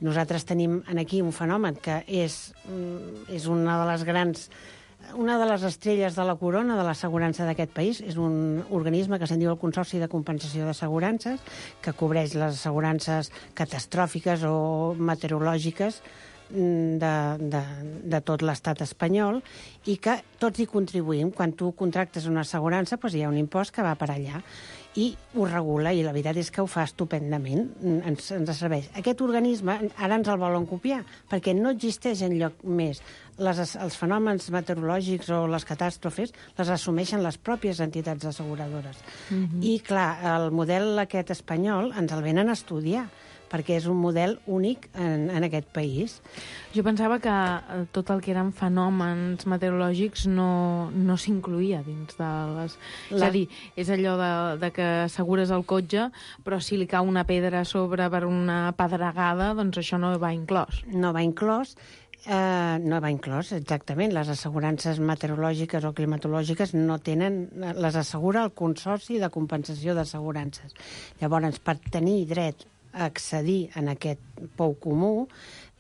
Nosaltres tenim aquí un fenomen que és, mm, és una de les grans... Una de les estrelles de la corona de l'assegurança d'aquest país és un organisme que se'n diu el Consorci de Compensació d'Assegurances, que cobreix les assegurances catastròfiques o meteorològiques de, de, de tot l'estat espanyol, i que tots hi contribuïm. Quan tu contractes una assegurança, doncs hi ha un impost que va per allà i ho regula, i la veritat és que ho fa estupendament, ens, ens serveix. Aquest organisme ara ens el volen copiar, perquè no existeix enlloc més. Les, els fenòmens meteorològics o les catàstrofes les assumeixen les pròpies entitats asseguradores. Mm-hmm. I, clar, el model aquest espanyol ens el venen a estudiar, perquè és un model únic en, en aquest país. Jo pensava que tot el que eren fenòmens meteorològics no, no s'incluïa dins de les... La... És a dir, és allò de, de que assegures el cotxe, però si li cau una pedra a sobre per una pedregada, doncs això no va inclòs. No va inclòs. Uh, no va inclòs, exactament. Les assegurances meteorològiques o climatològiques no tenen... Les assegura el Consorci de Compensació d'Assegurances. Llavors, per tenir dret a accedir en aquest pou comú,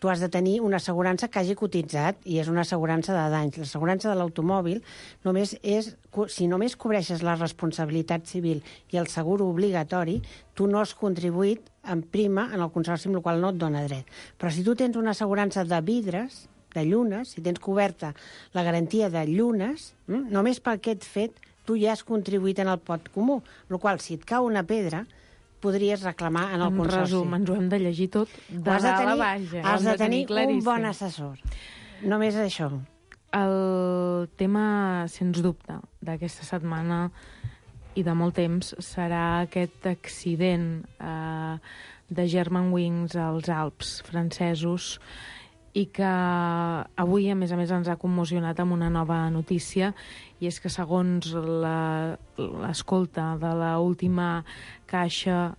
tu has de tenir una assegurança que hagi cotitzat, i és una assegurança de danys. L'assegurança de l'automòbil només és... Si només cobreixes la responsabilitat civil i el seguro obligatori, tu no has contribuït en prima en el consorci, amb el qual no et dona dret. Però si tu tens una assegurança de vidres, de llunes, si tens coberta la garantia de llunes, hm, només per aquest fet tu ja has contribuït en el pot comú, el qual, si et cau una pedra, podries reclamar en el en consorci. Resum, ens ho hem de llegir tot de dalt a baix. Eh? Has de tenir un bon assessor. Només això. El tema, sens dubte, d'aquesta setmana i de molt temps serà aquest accident eh, de Germanwings als Alps francesos, i que avui, a més a més, ens ha commocionat amb una nova notícia, i és que, segons l'escolta de l'última caixa,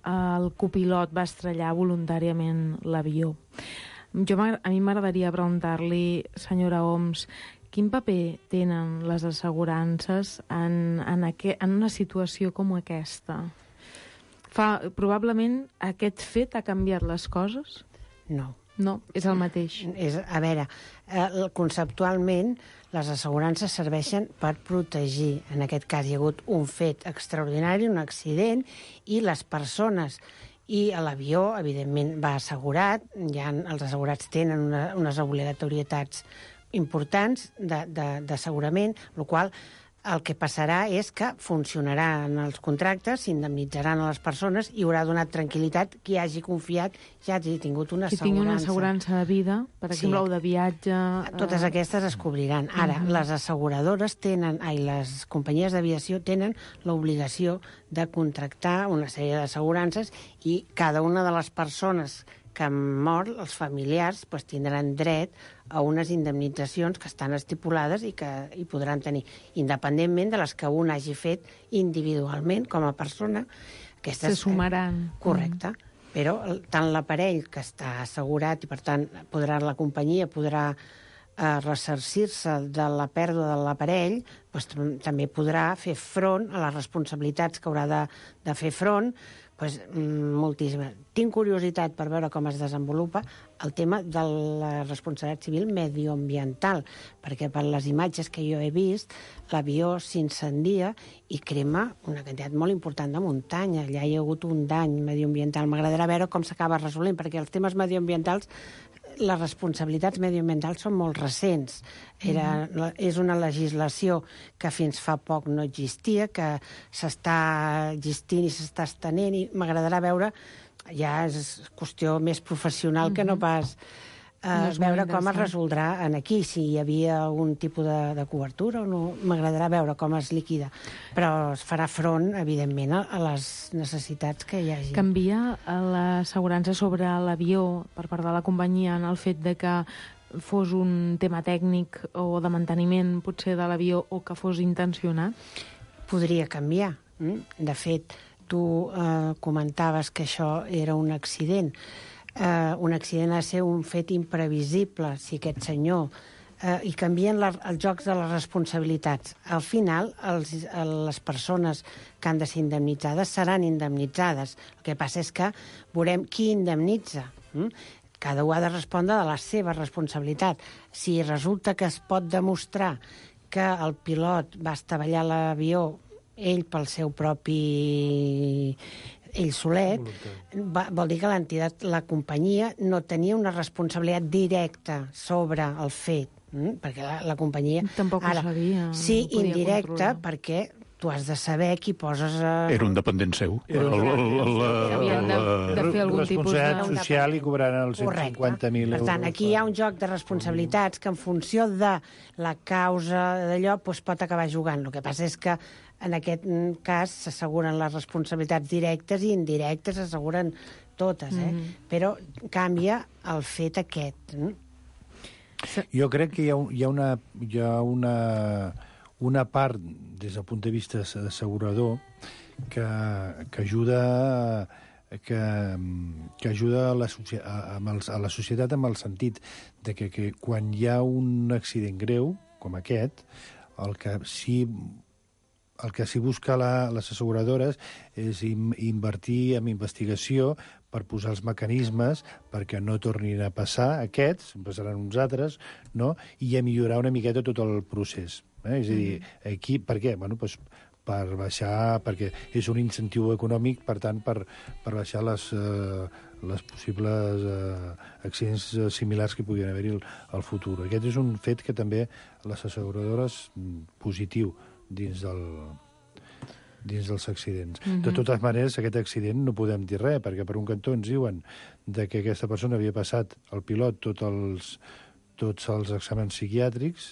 el copilot va estrellar voluntàriament l'avió. Jo, a mi m'agradaria preguntar-li, senyora Homs, quin paper tenen les assegurances en, en, aqu en una situació com aquesta? Fa, probablement aquest fet ha canviat les coses? No. No, és el mateix. És, a veure, eh, conceptualment les assegurances serveixen per protegir. En aquest cas hi ha hagut un fet extraordinari, un accident, i les persones i l'avió, evidentment, va assegurat. Ja els assegurats tenen una, unes obligatorietats importants d'assegurament, el qual el que passarà és que funcionaran els contractes, s'indemnitzaran a les persones i haurà donat tranquil·litat qui hagi confiat, ja hagi tingut una qui assegurança. Qui tingui una assegurança de vida, per exemple, sí, o de viatge... Totes aquestes es cobriran. Ara, uh-huh. les asseguradores tenen, ai, les companyies d'aviació tenen l'obligació de contractar una sèrie d'assegurances, i cada una de les persones que han mort, els familiars, pues, tindran dret a unes indemnitzacions que estan estipulades i que hi podran tenir, independentment de les que un hagi fet individualment com a persona. Aquestes, se sumaran. Correcte. Mm. Però tant l'aparell que està assegurat, i per tant podrà, la companyia podrà eh, ressarcir-se de la pèrdua de l'aparell, pues, també podrà fer front a les responsabilitats que haurà de, de fer front, pues, moltíssima. Tinc curiositat per veure com es desenvolupa el tema de la responsabilitat civil medioambiental, perquè per les imatges que jo he vist, l'avió s'incendia i crema una quantitat molt important de muntanya. Allà hi ha hagut un dany medioambiental. M'agradarà veure com s'acaba resolent, perquè els temes medioambientals, les responsabilitats mediambientals són molt recents. Era, mm. És una legislació que fins fa poc no existia, que s'està existint i s'està estenent, i m'agradarà veure, ja és qüestió més professional mm-hmm. que no pas Uh, veure com es resoldrà en aquí, si hi havia algun tipus de, de cobertura o no. M'agradarà veure com es liquida. Però es farà front, evidentment, a, a les necessitats que hi hagi. Canvia l'assegurança sobre l'avió per part de la companyia en el fet de que fos un tema tècnic o de manteniment, potser, de l'avió, o que fos intencionat? Podria canviar. De fet, tu eh, comentaves que això era un accident. Uh, un accident ha de ser un fet imprevisible, si aquest senyor... Uh, I canvien la, els jocs de les responsabilitats. Al final, els, les persones que han de ser indemnitzades seran indemnitzades. El que passa és que veurem qui indemnitza. Mm? Cada un ha de respondre de la seva responsabilitat. Si resulta que es pot demostrar que el pilot va estavellar l'avió ell pel seu propi... ell solet, va, vol dir que l'entitat, la companyia, no tenia una responsabilitat directa sobre el fet, mm? perquè la, la companyia... Tampoc ara, ho sabia. Sí, no indirecta, controlar. Perquè tu has de saber qui poses... A... Era un dependent seu. Era un Havien de, de fer algun tipus de... Responsabilitat social i cobraran els cent cinquanta mil euros. Per tant, aquí hi ha un joc de responsabilitats que en funció de la causa d'allò doncs pot acabar jugant. El que passa és que en aquest cas s'asseguren les responsabilitats directes i indirectes s'asseguren totes, eh? Mm. Però canvia el fet aquest. Eh? Jo crec que hi ha, hi ha, una, hi ha una, una part, des del punt de vista assegurador, que, que ajuda... que, que ajuda a la, a, a la societat amb el sentit de que, que quan hi ha un accident greu, com aquest, el que sí... El que s'hi busca la, les asseguradores és in, invertir en investigació per posar els mecanismes perquè no tornin a passar aquests, passaran uns altres, no? I a millorar una miqueta tot el procés. Eh? És a dir, aquí, per què? Bueno, doncs per baixar, perquè és un incentiu econòmic, per tant, per, per baixar les, eh, les possibles eh, accidents similars que puguin haver-hi al, al futur. Aquest és un fet que també les asseguradores, positiu, dins del dins dels accidents. Mm-hmm. De totes maneres, aquest accident no podem dir res, perquè per un cantó ens diuen de que aquesta persona havia passat al pilot tots els, tots els exàmens psiquiàtrics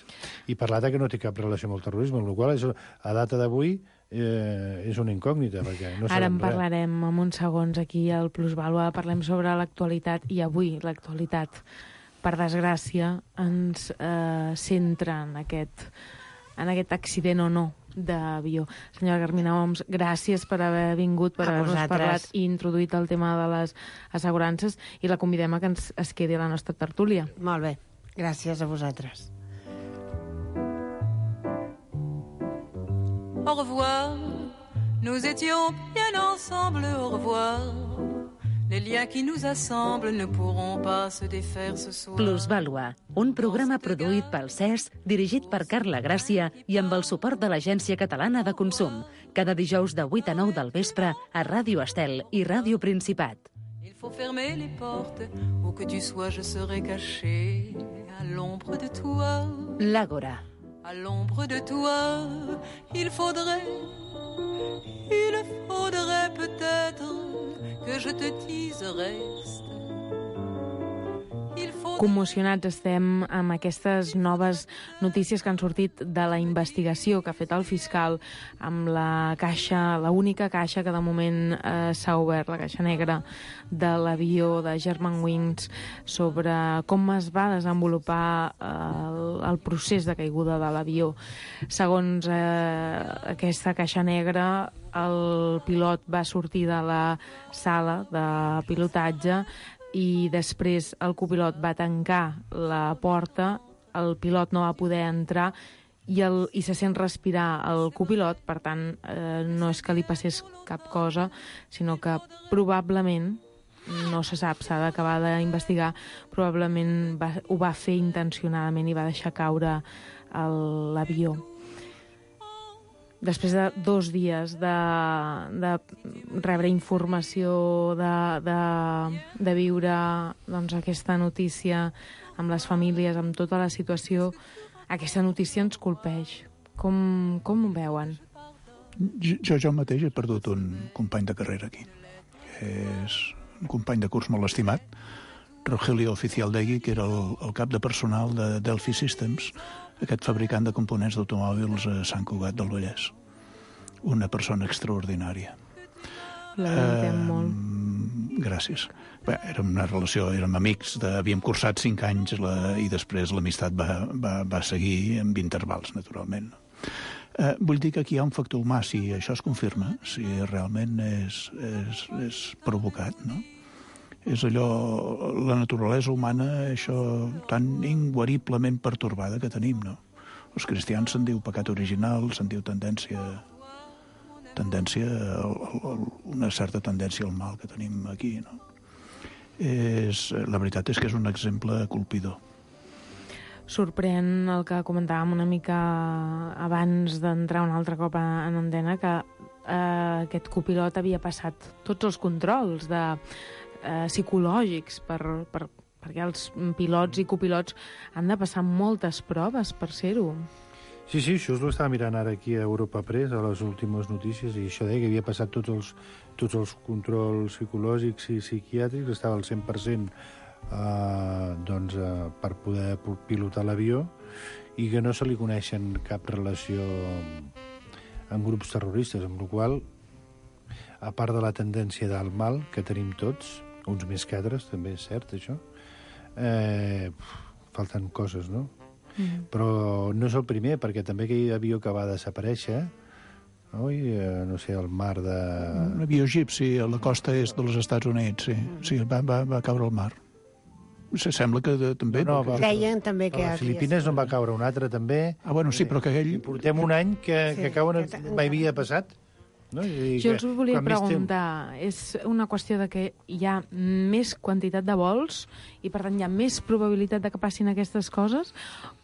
i per l'altre que no té cap relació amb el terrorisme, amb la qual cosa, a data d'avui, eh, és una incògnita, perquè no sabem res. Ara en parlarem en uns segons aquí al Plusvàlua, parlem sobre l'actualitat, i avui l'actualitat, per desgràcia, ens eh, centra en aquest, en aquest accident o no d'avió. Senyora Carmina Oms, gràcies per haver vingut, per haver-nos parlat i introduït el tema de les assegurances, i la convidem a que ens es quedi a la nostra tertúlia. Molt bé, gràcies a vosaltres. Au revoir, nous étions bien ensemble, au revoir. Les liens qui nous assemblent ne pourront pas se défaire ce soir. Plusvàlua, un programa produït pel C E S, dirigit per Carla Gràcia i amb el suport de l'Agència Catalana de Consum. Cada dijous de vuit a nou del vespre a Ràdio Estel i Ràdio Principat. Il faut fermer les portes, où que tu sois, je serai caché à l'ombre de toi. L'Àgora. À l'ombre de toi, il faudrait, il faudrait peut-être que je te dise reste. Commocionats estem amb aquestes noves notícies que han sortit de la investigació que ha fet el fiscal amb la caixa, la única caixa que de moment eh, s'ha obert, la caixa negra de l'avió de Germanwings, sobre com es va desenvolupar eh, el, el procés de caiguda de l'avió. Segons eh, aquesta caixa negra, el pilot va sortir de la sala de pilotatge i després el copilot va tancar la porta, el pilot no va poder entrar i, el, i se sent respirar el copilot, per tant, eh, no és que li passés cap cosa, sinó que probablement, no se sap, s'ha d'acabar d'investigar, probablement va, ho va fer intencionadament i va deixar caure l'avió. Després de dos dies de, de rebre informació, de, de, de viure doncs, aquesta notícia amb les famílies, amb tota la situació, aquesta notícia ens colpeix. Com, com ho veuen? Jo, jo mateix he perdut un company de carrera aquí. És un company de curs molt estimat, Rogelio Oficialdegui, que era el, el cap de personal de Delphi Systems, aquest fabricant de components d'automòbils a Sant Cugat del Vallès. Una persona extraordinària. Lamentem uh, molt. Gràcies. Bé, érem una relació, érem amics, de, havíem cursat cinc anys la, i després l'amistat va, va, va seguir amb intervals, naturalment. Uh, vull dir que aquí hi ha un factor humà, si això es confirma, si realment és, és, és provocat, no? És allò, la naturalesa humana, això tan inguariblement pertorbada que tenim, no? Els cristians se'n diu pecat original, se'n diu tendència... tendència, una certa tendència al mal que tenim aquí, no? És, la veritat és que és un exemple colpidor. Sorprèn el que comentàvem una mica abans d'entrar un altre cop en antena, que eh, aquest copilot havia passat tots els controls de, eh, psicològics per, per, perquè els pilots i copilots han de passar moltes proves per ser-ho. Sí, sí, això us ho estava mirant ara aquí a Europa Press, a les últimes notícies, i això deia que havia passat tots els, tots els controls psicològics i psiquiàtrics, estava al cent per cent eh, doncs, eh, per poder pilotar l'avió, i que no se li coneixen cap relació amb grups terroristes, amb la qual cosa, a part de la tendència del mal que tenim tots, uns més que altres, també és cert, això, eh, falten coses, no? Mm. Però no és el primer, perquè també aquell avió que va desaparèixer, no, I, eh, no sé, al mar de... Un avió egipci a la costa est dels Estats Units, sí, sí va, va, va caure al mar. Se sembla que de, també... No, no, deien també que... A les Filipines no va caure un altre, també. Ah, bueno, sí, però que aquell... I portem un any que, sí, que cauen... Que mai havia passat. No? I jo els volia preguntar, és una qüestió de que hi ha més quantitat de vols i, per tant, hi ha més probabilitat de que passin aquestes coses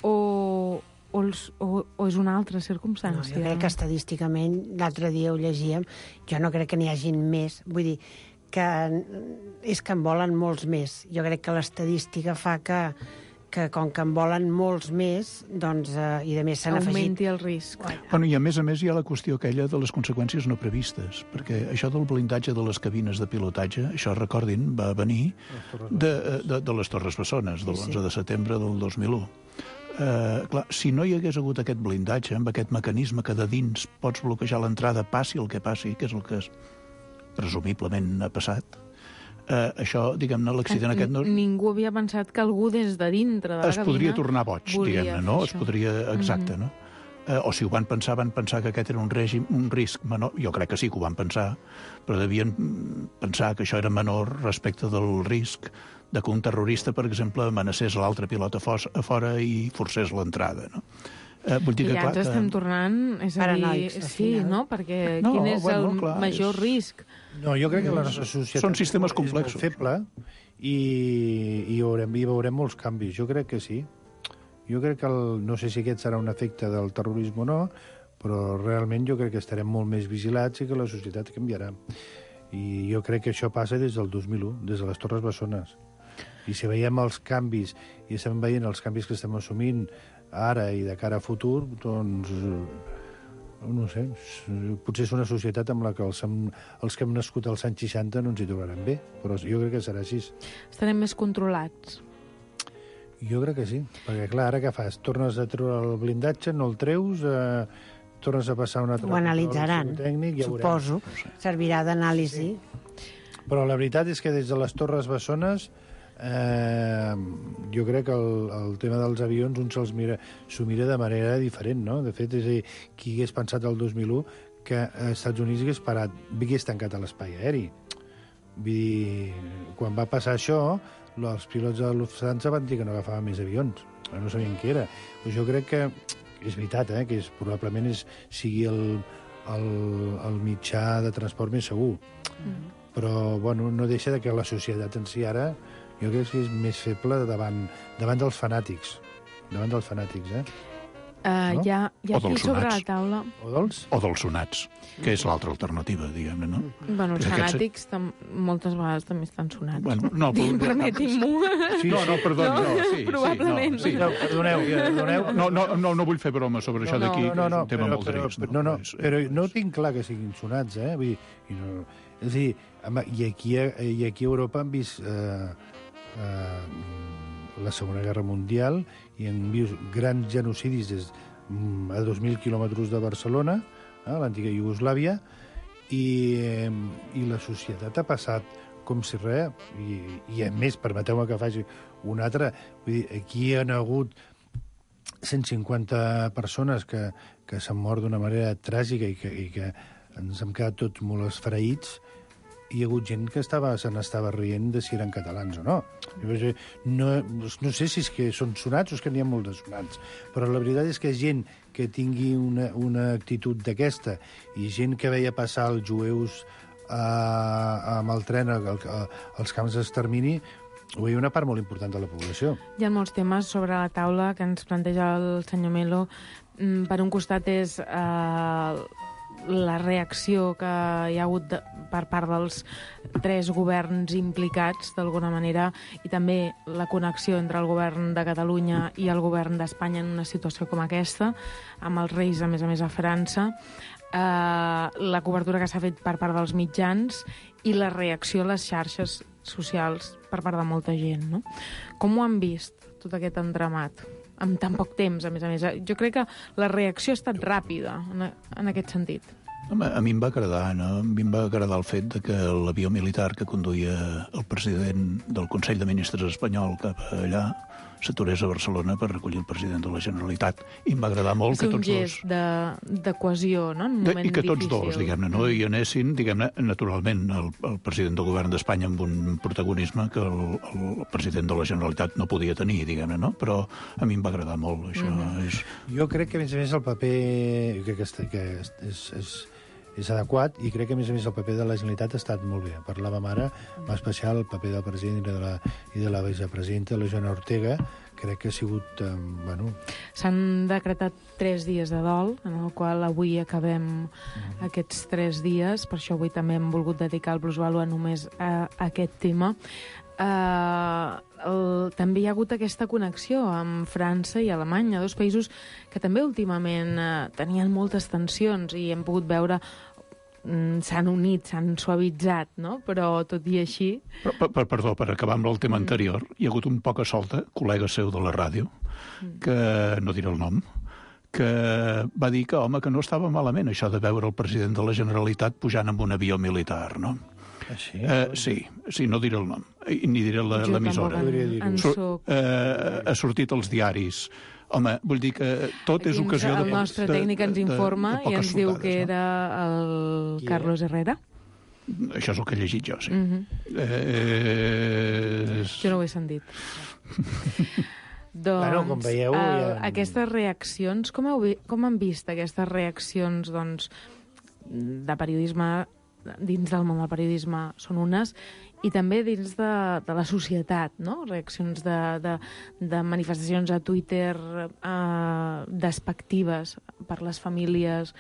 o, o, els, o, o és una altra circumstància? No, jo crec que estadísticament, l'altre dia ho llegíem, jo no crec que n'hi hagin més. Vull dir, que és que en volen molts més. Jo crec que l'estadística fa que que com que en volen molts més, doncs, eh, i de més s'han afegit... Augmenti el risc. Bueno, i a més a més hi ha la qüestió aquella de les conseqüències no previstes, perquè això del blindatge de les cabines de pilotatge, això, recordin, va venir de, de, de les Torres Bessones, de l'onze de setembre del dos mil u. Eh, clar, si no hi hagués hagut aquest blindatge, amb aquest mecanisme que de dins pots bloquejar l'entrada, passi el que passi, que és el que es, presumiblement ha passat, Uh, això, diguem-ne, l'accident aquest... No... Ningú havia pensat que algú des de dintre de la es cabina... Es podria tornar boig, diguem-ne, no? Això. Es podria... Exacte, mm-hmm. no? Uh, o si ho van pensar, van pensar que aquest era un règim, un risc menor. Jo crec que sí que ho van pensar, però devien pensar que això era menor respecte del risc de que un terrorista, per exemple, amenacés l'altre pilot a, fos, a fora i forcés l'entrada, no? Uh, vull dir I que, ja clar, ens estem tornant, és a dir, sí, no? Perquè no, quin és bueno, el clar, major és... risc? No, jo crec que la nostra societat són sistemes complexos. És molt feble i, i, veurem, i veurem molts canvis. Jo crec que sí. Jo crec que el, no sé si aquest serà un efecte del terrorisme o no, però realment jo crec que estarem molt més vigilats i que la societat canviarà. I jo crec que això passa des del dos mil u, des de les Torres Bessones. I si veiem els canvis, i estem veient els canvis que estem assumint ara i de cara a futur, doncs, no sé, potser és una societat amb la que els, els que hem nascut als anys seixanta no ens hi trobaran bé, però jo crec que serà així. Estarem més controlats. Jo crec que sí, perquè clar, ara què fas? Tornes a treure el blindatge, no el treus, eh, tornes a passar una altra... Ho analitzaran, tècnic, ja suposo, servirà d'anàlisi. Sí. Però la veritat és que des de les Torres Bessones Eh, jo crec que el, el tema dels avions un se'ls mira, s'ho mira de manera diferent, no? De fet, és a dir, qui hagués pensat el dos mil u que als Estats Units hagués parat, hagués tancat a l'espai aeri. Vull dir, quan va passar això, els pilots de Lufthansa van dir que no agafaven més avions, no sabien què era. Però jo crec que és veritat, eh, que és, probablement és, sigui el, el, el mitjà de transport més segur. Mm. Però, bueno, no deixa de que la societat en si ara jo crec que és més feble davant, davant dels fanàtics. Davant dels fanàtics, eh? Uh, no? Hi ha, hi ha o aquí sobre la taula... O dels? O dels sonats, que és l'altra alternativa, diguem-ne, no? Bueno, els Perquè fanàtics tam moltes vegades també estan sonats. Bueno, no, però... Permetin-m'ho. Sí, no, no, perdó, no, no, sí, probablement. Sí, no, sí. No, perdoneu, perdoneu. No, no, no, no vull fer broma sobre això no, d'aquí, no, no, no, que és un tema però, molt però, trist. No, no, no, però no tinc clar que siguin sonats, eh? Vull dir, i no, és a dir, i aquí, i aquí a Europa han vist... Eh, eh, la Segona Guerra Mundial i han vist grans genocidis des a dos mil quilòmetres de Barcelona, eh, l'antiga Iugoslàvia, i, eh, i la societat ha passat com si res, i, i a més, permeteu-me que faci una altra, vull dir, aquí hi ha hagut cent cinquanta persones que, que s'han mort d'una manera tràgica i que, i que ens hem quedat tots molt esfereïts, i hi ha hagut gent que estava, se n'estava rient de si eren catalans o no. no. No sé si és que són sonats o és que n'hi ha molts de sonats, però la veritat és que gent que tingui una, una actitud d'aquesta i gent que veia passar els jueus eh, amb el tren als camps d'extermini, ho veia una part molt important de la població. Hi ha molts temes sobre la taula que ens planteja el senyor Melo. Per un costat és eh, la reacció que hi ha hagut de, per part dels tres governs implicats, d'alguna manera, i també la connexió entre el govern de Catalunya i el govern d'Espanya en una situació com aquesta, amb els reis, a més a més, a França, eh, la cobertura que s'ha fet per part dels mitjans i la reacció a les xarxes socials per part de molta gent, no? Com ho han vist, tot aquest entramat? Amb tan poc temps, a més a més. Jo crec que la reacció ha estat ràpida, en, en aquest sentit. Home, a mi em va agradar, no? A mi em va agradar el fet de que l'avió militar que conduïa el president del Consell de Ministres espanyol cap allà s'aturés a Barcelona per recollir el president de la Generalitat. I em va agradar molt que tots dos... És un gest de, de cohesió, no? En un moment I que tots difícil. dos, diguem-ne, no? I anessin, diguem-ne, naturalment, el, el president del govern d'Espanya amb un protagonisme que el, el president de la Generalitat no podia tenir, diguem-ne, no? Però a mi em va agradar molt, això. Mm-hmm. és... Jo crec que, a més a més, el paper crec que, que és, és, és, és adequat i crec que, a més a més, el paper de la Generalitat ha estat molt bé. Parlàvem ara, en especial, el paper del president i de la, i de la vicepresidenta, la Joana Ortega, crec que ha sigut... Eh, bueno... S'han decretat tres dies de dol, en el qual avui acabem mm-hmm. aquests tres dies, per això avui també hem volgut dedicar el Plusvalua només a, a aquest tema. Uh, el, també hi ha hagut aquesta connexió amb França i Alemanya, dos països que també últimament uh, tenien moltes tensions i hem pogut veure mm, s'han unit, s'han suavitzat, no? Però tot i així... Però, per, per, perdó, per acabar amb el tema anterior, hi ha hagut un poc a solta, col·lega seu de la ràdio, que no diré el nom, que va dir que, home, que no estava malament això de veure el president de la Generalitat pujant amb un avió militar, no? Ah, sí? Uh, sí, sí, no diré el nom, ni diré l'emissora. Soc... Uh, ha sortit als diaris. Home, vull dir que tot és ocasió de... El nostre tècnic ens informa i ens diu que era el Carlos Herrera. Això és el que he llegit jo, sí. Mm-hmm. eh... Jo no ho he sentit. Doncs, bueno, com veieu, uh, ja... aquestes reaccions, com, heu, com han vist aquestes reaccions doncs, de periodisme dins del món del periodisme són unes, i també dins de, de la societat, no? Reaccions de, de, de manifestacions a Twitter eh, despectives per les famílies,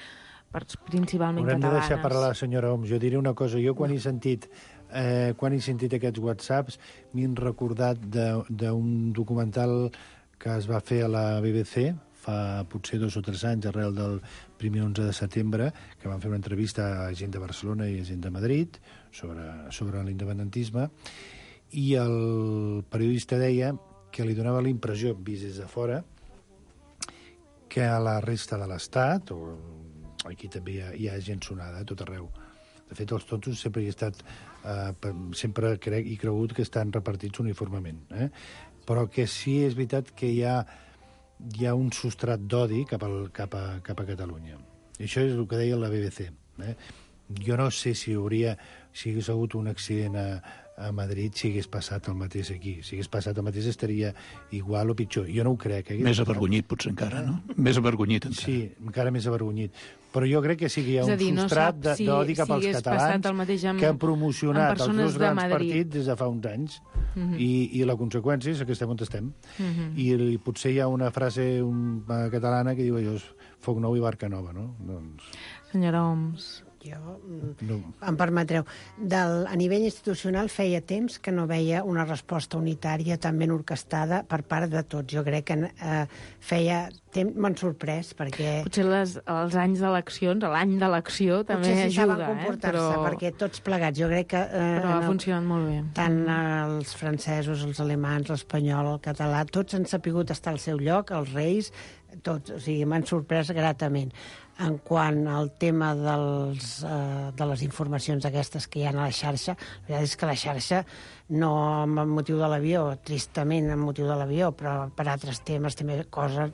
per, principalment Haurem catalanes. Haurem de deixar parlar la senyora Homs. Jo diré una cosa. Jo quan he sentit, eh, quan he sentit aquests whatsapps m'he recordat d'un documental que es va fer a la B B C fa potser dos o tres anys, arrel del primer onze de setembre, que van fer una entrevista a gent de Barcelona i a gent de Madrid sobre, sobre l'independentisme, i el periodista deia que li donava la impressió, vist des de fora, que a la resta de l'Estat, o aquí també hi ha, hi ha gent sonada, a tot arreu. De fet, els tontos sempre hi he estat, eh, sempre crec i cregut que estan repartits uniformement. Eh? Però que sí és veritat que hi ha hi ha un substrat d'odi cap, al, cap, a, cap a Catalunya. I això és el que deia la B B C. Eh? Jo no sé si hauria, si hagués hagut un accident a, a Madrid, si hagués passat el mateix aquí. Si hagués passat el mateix estaria igual o pitjor. Jo no ho crec. Eh? Més avergonyit, potser encara, no? Més avergonyit encara. Sí, encara més avergonyit. Però jo crec que sí que hi ha un dir, substrat no si, d'odi cap si als catalans amb, que han promocionat els dos de grans Madrid. partits des de fa uns anys. Mm-hmm. I, I la conseqüència és que estem on estem. Mm-hmm. I, I potser hi ha una frase un, uh, catalana que diu allò, foc nou i barca nova, no? Doncs... Senyora Homs, Jo, no. em permetreu, del, a nivell institucional feia temps que no veia una resposta unitària tan ben orquestada per part de tots. Jo crec que eh, feia temps, m'han sorprès, perquè... Potser les, els anys d'eleccions, l'any d'elecció també Potser sí ajuda, saben comportar-se, eh? Però... perquè tots plegats, jo crec que... Eh, Però ha no, funcionat molt bé. tant els francesos, els alemans, l'espanyol, el català, tots han sapigut estar al seu lloc, els reis, tots, o sigui, m'han sorprès gratament. En quant al tema dels, eh, de les informacions aquestes que hi ha a la xarxa, la veritat és que la xarxa, no amb motiu de l'avió, tristament amb motiu de l'avió, però per altres temes també coses,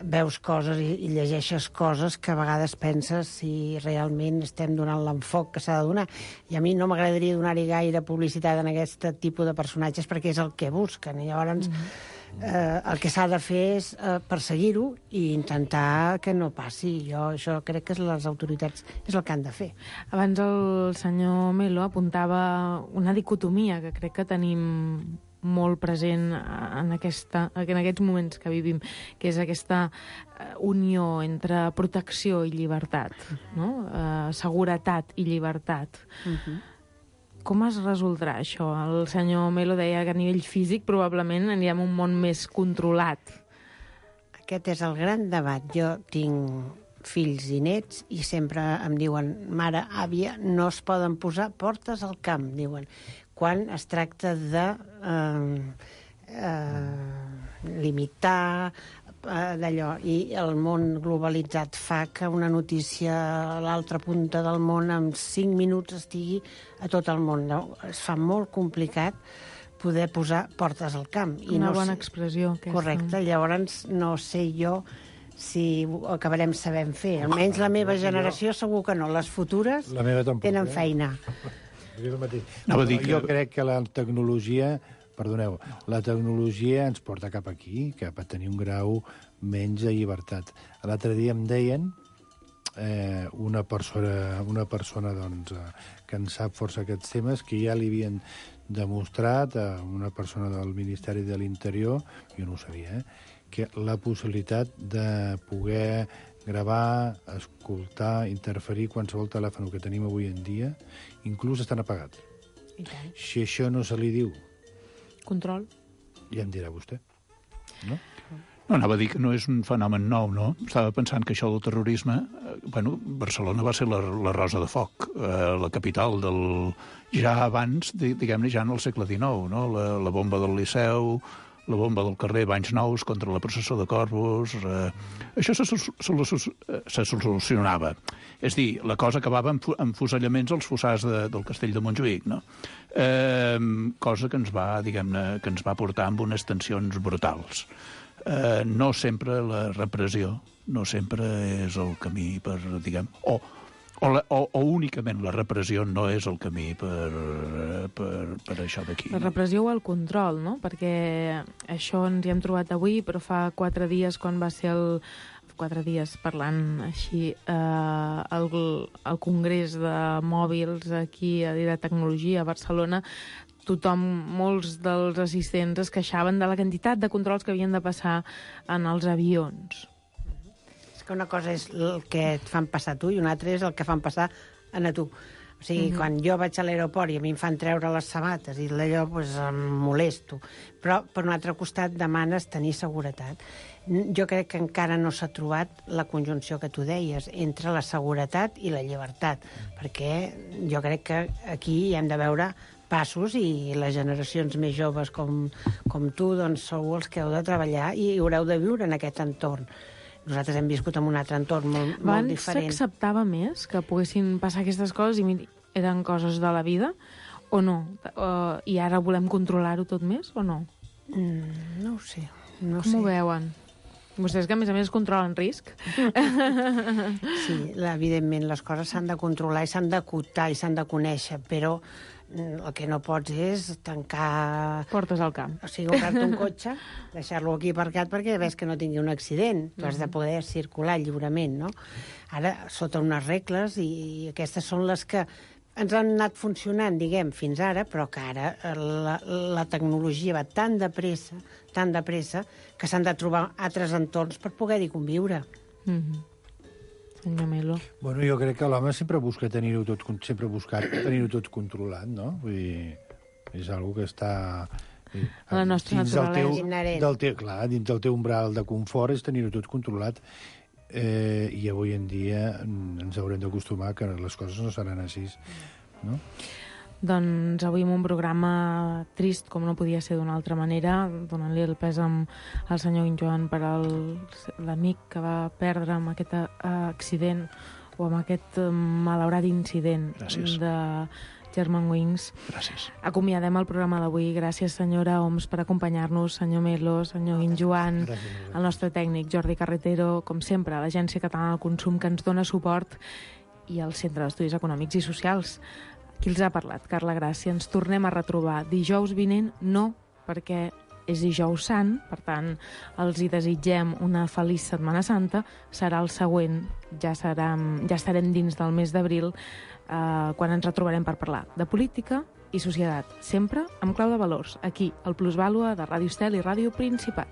veus coses i, i llegeixes coses que a vegades penses si realment estem donant l'enfoc que s'ha de donar. I a mi no m'agradaria donar-hi gaire publicitat en aquest tipus de personatges perquè és el que busquen. I llavors... Mm-hmm. Eh, el que s'ha de fer és eh, perseguir-ho i intentar que no passi. Jo això crec que les autoritats és el que han de fer. Abans el senyor Melo apuntava una dicotomia que crec que tenim molt present en, aquesta, en aquests moments que vivim, que és aquesta unió entre protecció i llibertat, no? Eh, seguretat i llibertat. Uh-huh. Com es resoldrà això? El senyor Melo deia que a nivell físic probablement anirem a un món més controlat. Aquest és el gran debat. Jo tinc fills i nets i sempre em diuen, mare, àvia, no es poden posar portes al camp, diuen, quan es tracta de eh, eh, limitar d'allò, i el món globalitzat fa que una notícia a l'altra punta del món en cinc minuts estigui a tot el món. No? Es fa molt complicat poder posar portes al camp. I una no bona sé... expressió, aquesta. Correcte, llavors no sé jo si ho acabarem sabent fer. Almenys la meva generació segur que no, les futures la meva tampoc, tenen eh? feina. No, no, jo crec que la tecnologia... Perdoneu, la tecnologia ens porta cap aquí, cap a tenir un grau menys de llibertat. L'altre dia em deien eh, una persona, una persona doncs, eh, que en sap força aquests temes, que ja li havien demostrat a una persona del Ministeri de l'Interior, jo no ho sabia, eh, que la possibilitat de poder gravar, escoltar, interferir qualsevol telèfon que tenim avui en dia, inclús estan apagats. Si això no se li diu control, ja em dirà vostè, no? No, anava a dir que no és un fenomen nou, no? Estava pensant que això del terrorisme... Eh, bueno, Barcelona va ser la, la Rosa de Foc, eh, la capital del... Ja abans, diguem-ne, ja en el segle dinou, no? La, la bomba del Liceu, la bomba del carrer Banys Nous contra la processó de Corpus... Eh, això se, se, se solucionava. És dir, la cosa acabava amb, amb fusellaments als fossars de, del castell de Montjuïc, no? Eh, cosa que ens va, diguem-ne, que ens va portar amb unes tensions brutals. Eh, no sempre la repressió, no sempre és el camí per, diguem... O, o, la, o, o únicament la repressió no és el camí per, per, per això d'aquí. La repressió o el control, no? Perquè això ens hi hem trobat avui, però fa quatre dies, quan va ser el... quatre dies parlant així eh, el, el Congrés de Mòbils aquí i de Tecnologia a Barcelona, tothom, molts dels assistents es queixaven de la quantitat de controls que havien de passar en els avions. És que una cosa és el que et fan passar tu i una altra és el que fan passar a tu. O sigui, uh-huh. quan jo vaig a l'aeroport i a mi em fan treure les sabates i d'allò pues, em molesto. Però, per un altre costat, demanes tenir seguretat. Jo crec que encara no s'ha trobat la conjunció que tu deies entre la seguretat i la llibertat, perquè jo crec que aquí hi hem de veure passos i les generacions més joves com, com tu doncs sou els que heu de treballar i haureu de viure en aquest entorn. Nosaltres hem viscut en un altre entorn molt, molt diferent. Abans s'acceptava més que poguessin passar aquestes coses i eren coses de la vida o no? Uh, I ara volem controlar-ho tot més o no? Mm, no ho sé. No Com sé. ho veuen? Vostès que, a més a més, controlen risc. Sí, evidentment, les coses s'han de controlar i s'han d'acotar i s'han de conèixer, però el que no pots és tancar... Portes al camp. O sigui, comprar-te un cotxe, deixar-lo aquí aparcat perquè ves que no tingui un accident. Tu has de poder circular lliurement, no? Ara, sota unes regles, i aquestes són les que ens han anat funcionant, diguem, fins ara, però que ara la, la tecnologia va tan de pressa, tan de pressa, que s'han de trobar altres entorns per poder-hi conviure. Mm-hmm. senyor Melo? Bueno, jo crec que l'home sempre busca tenir-ho tot, sempre ha buscat tenir-ho tot controlat, no? Vull dir, és algo que està... A la nostra dins del teu, naturalesa. del teu, clar, dins del teu umbral de confort és tenir-ho tot controlat. Eh, I avui en dia ens haurem d'acostumar que les coses no seran així, no? Doncs avui amb un programa trist, com no podia ser d'una altra manera, donant-li el pèsam al senyor Joan per el- l'amic que va perdre amb aquest eh, accident o amb aquest eh, malaurat incident Gràcies. de Germanwings. Gràcies. Acomiadem el programa d'avui. Gràcies, senyora Oms, per acompanyar-nos, senyor Melo, senyor Guinjoan, el nostre tècnic Jordi Carretero, com sempre, l'Agència Catalana del Consum, que ens dona suport, i el Centre d'Estudis Econòmics i Socials. Qui els ha parlat? Carla Gràcia. Ens tornem a retrobar dijous vinent, no, perquè és dijous sant, per tant, els hi desitgem una feliç Setmana Santa. Serà el següent, ja, serà, ja estarem dins del mes d'abril, eh, quan ens retrobarem per parlar de política i societat, sempre amb clau de valors, aquí, al Plusvàlua de Ràdio Estel i Ràdio Principat.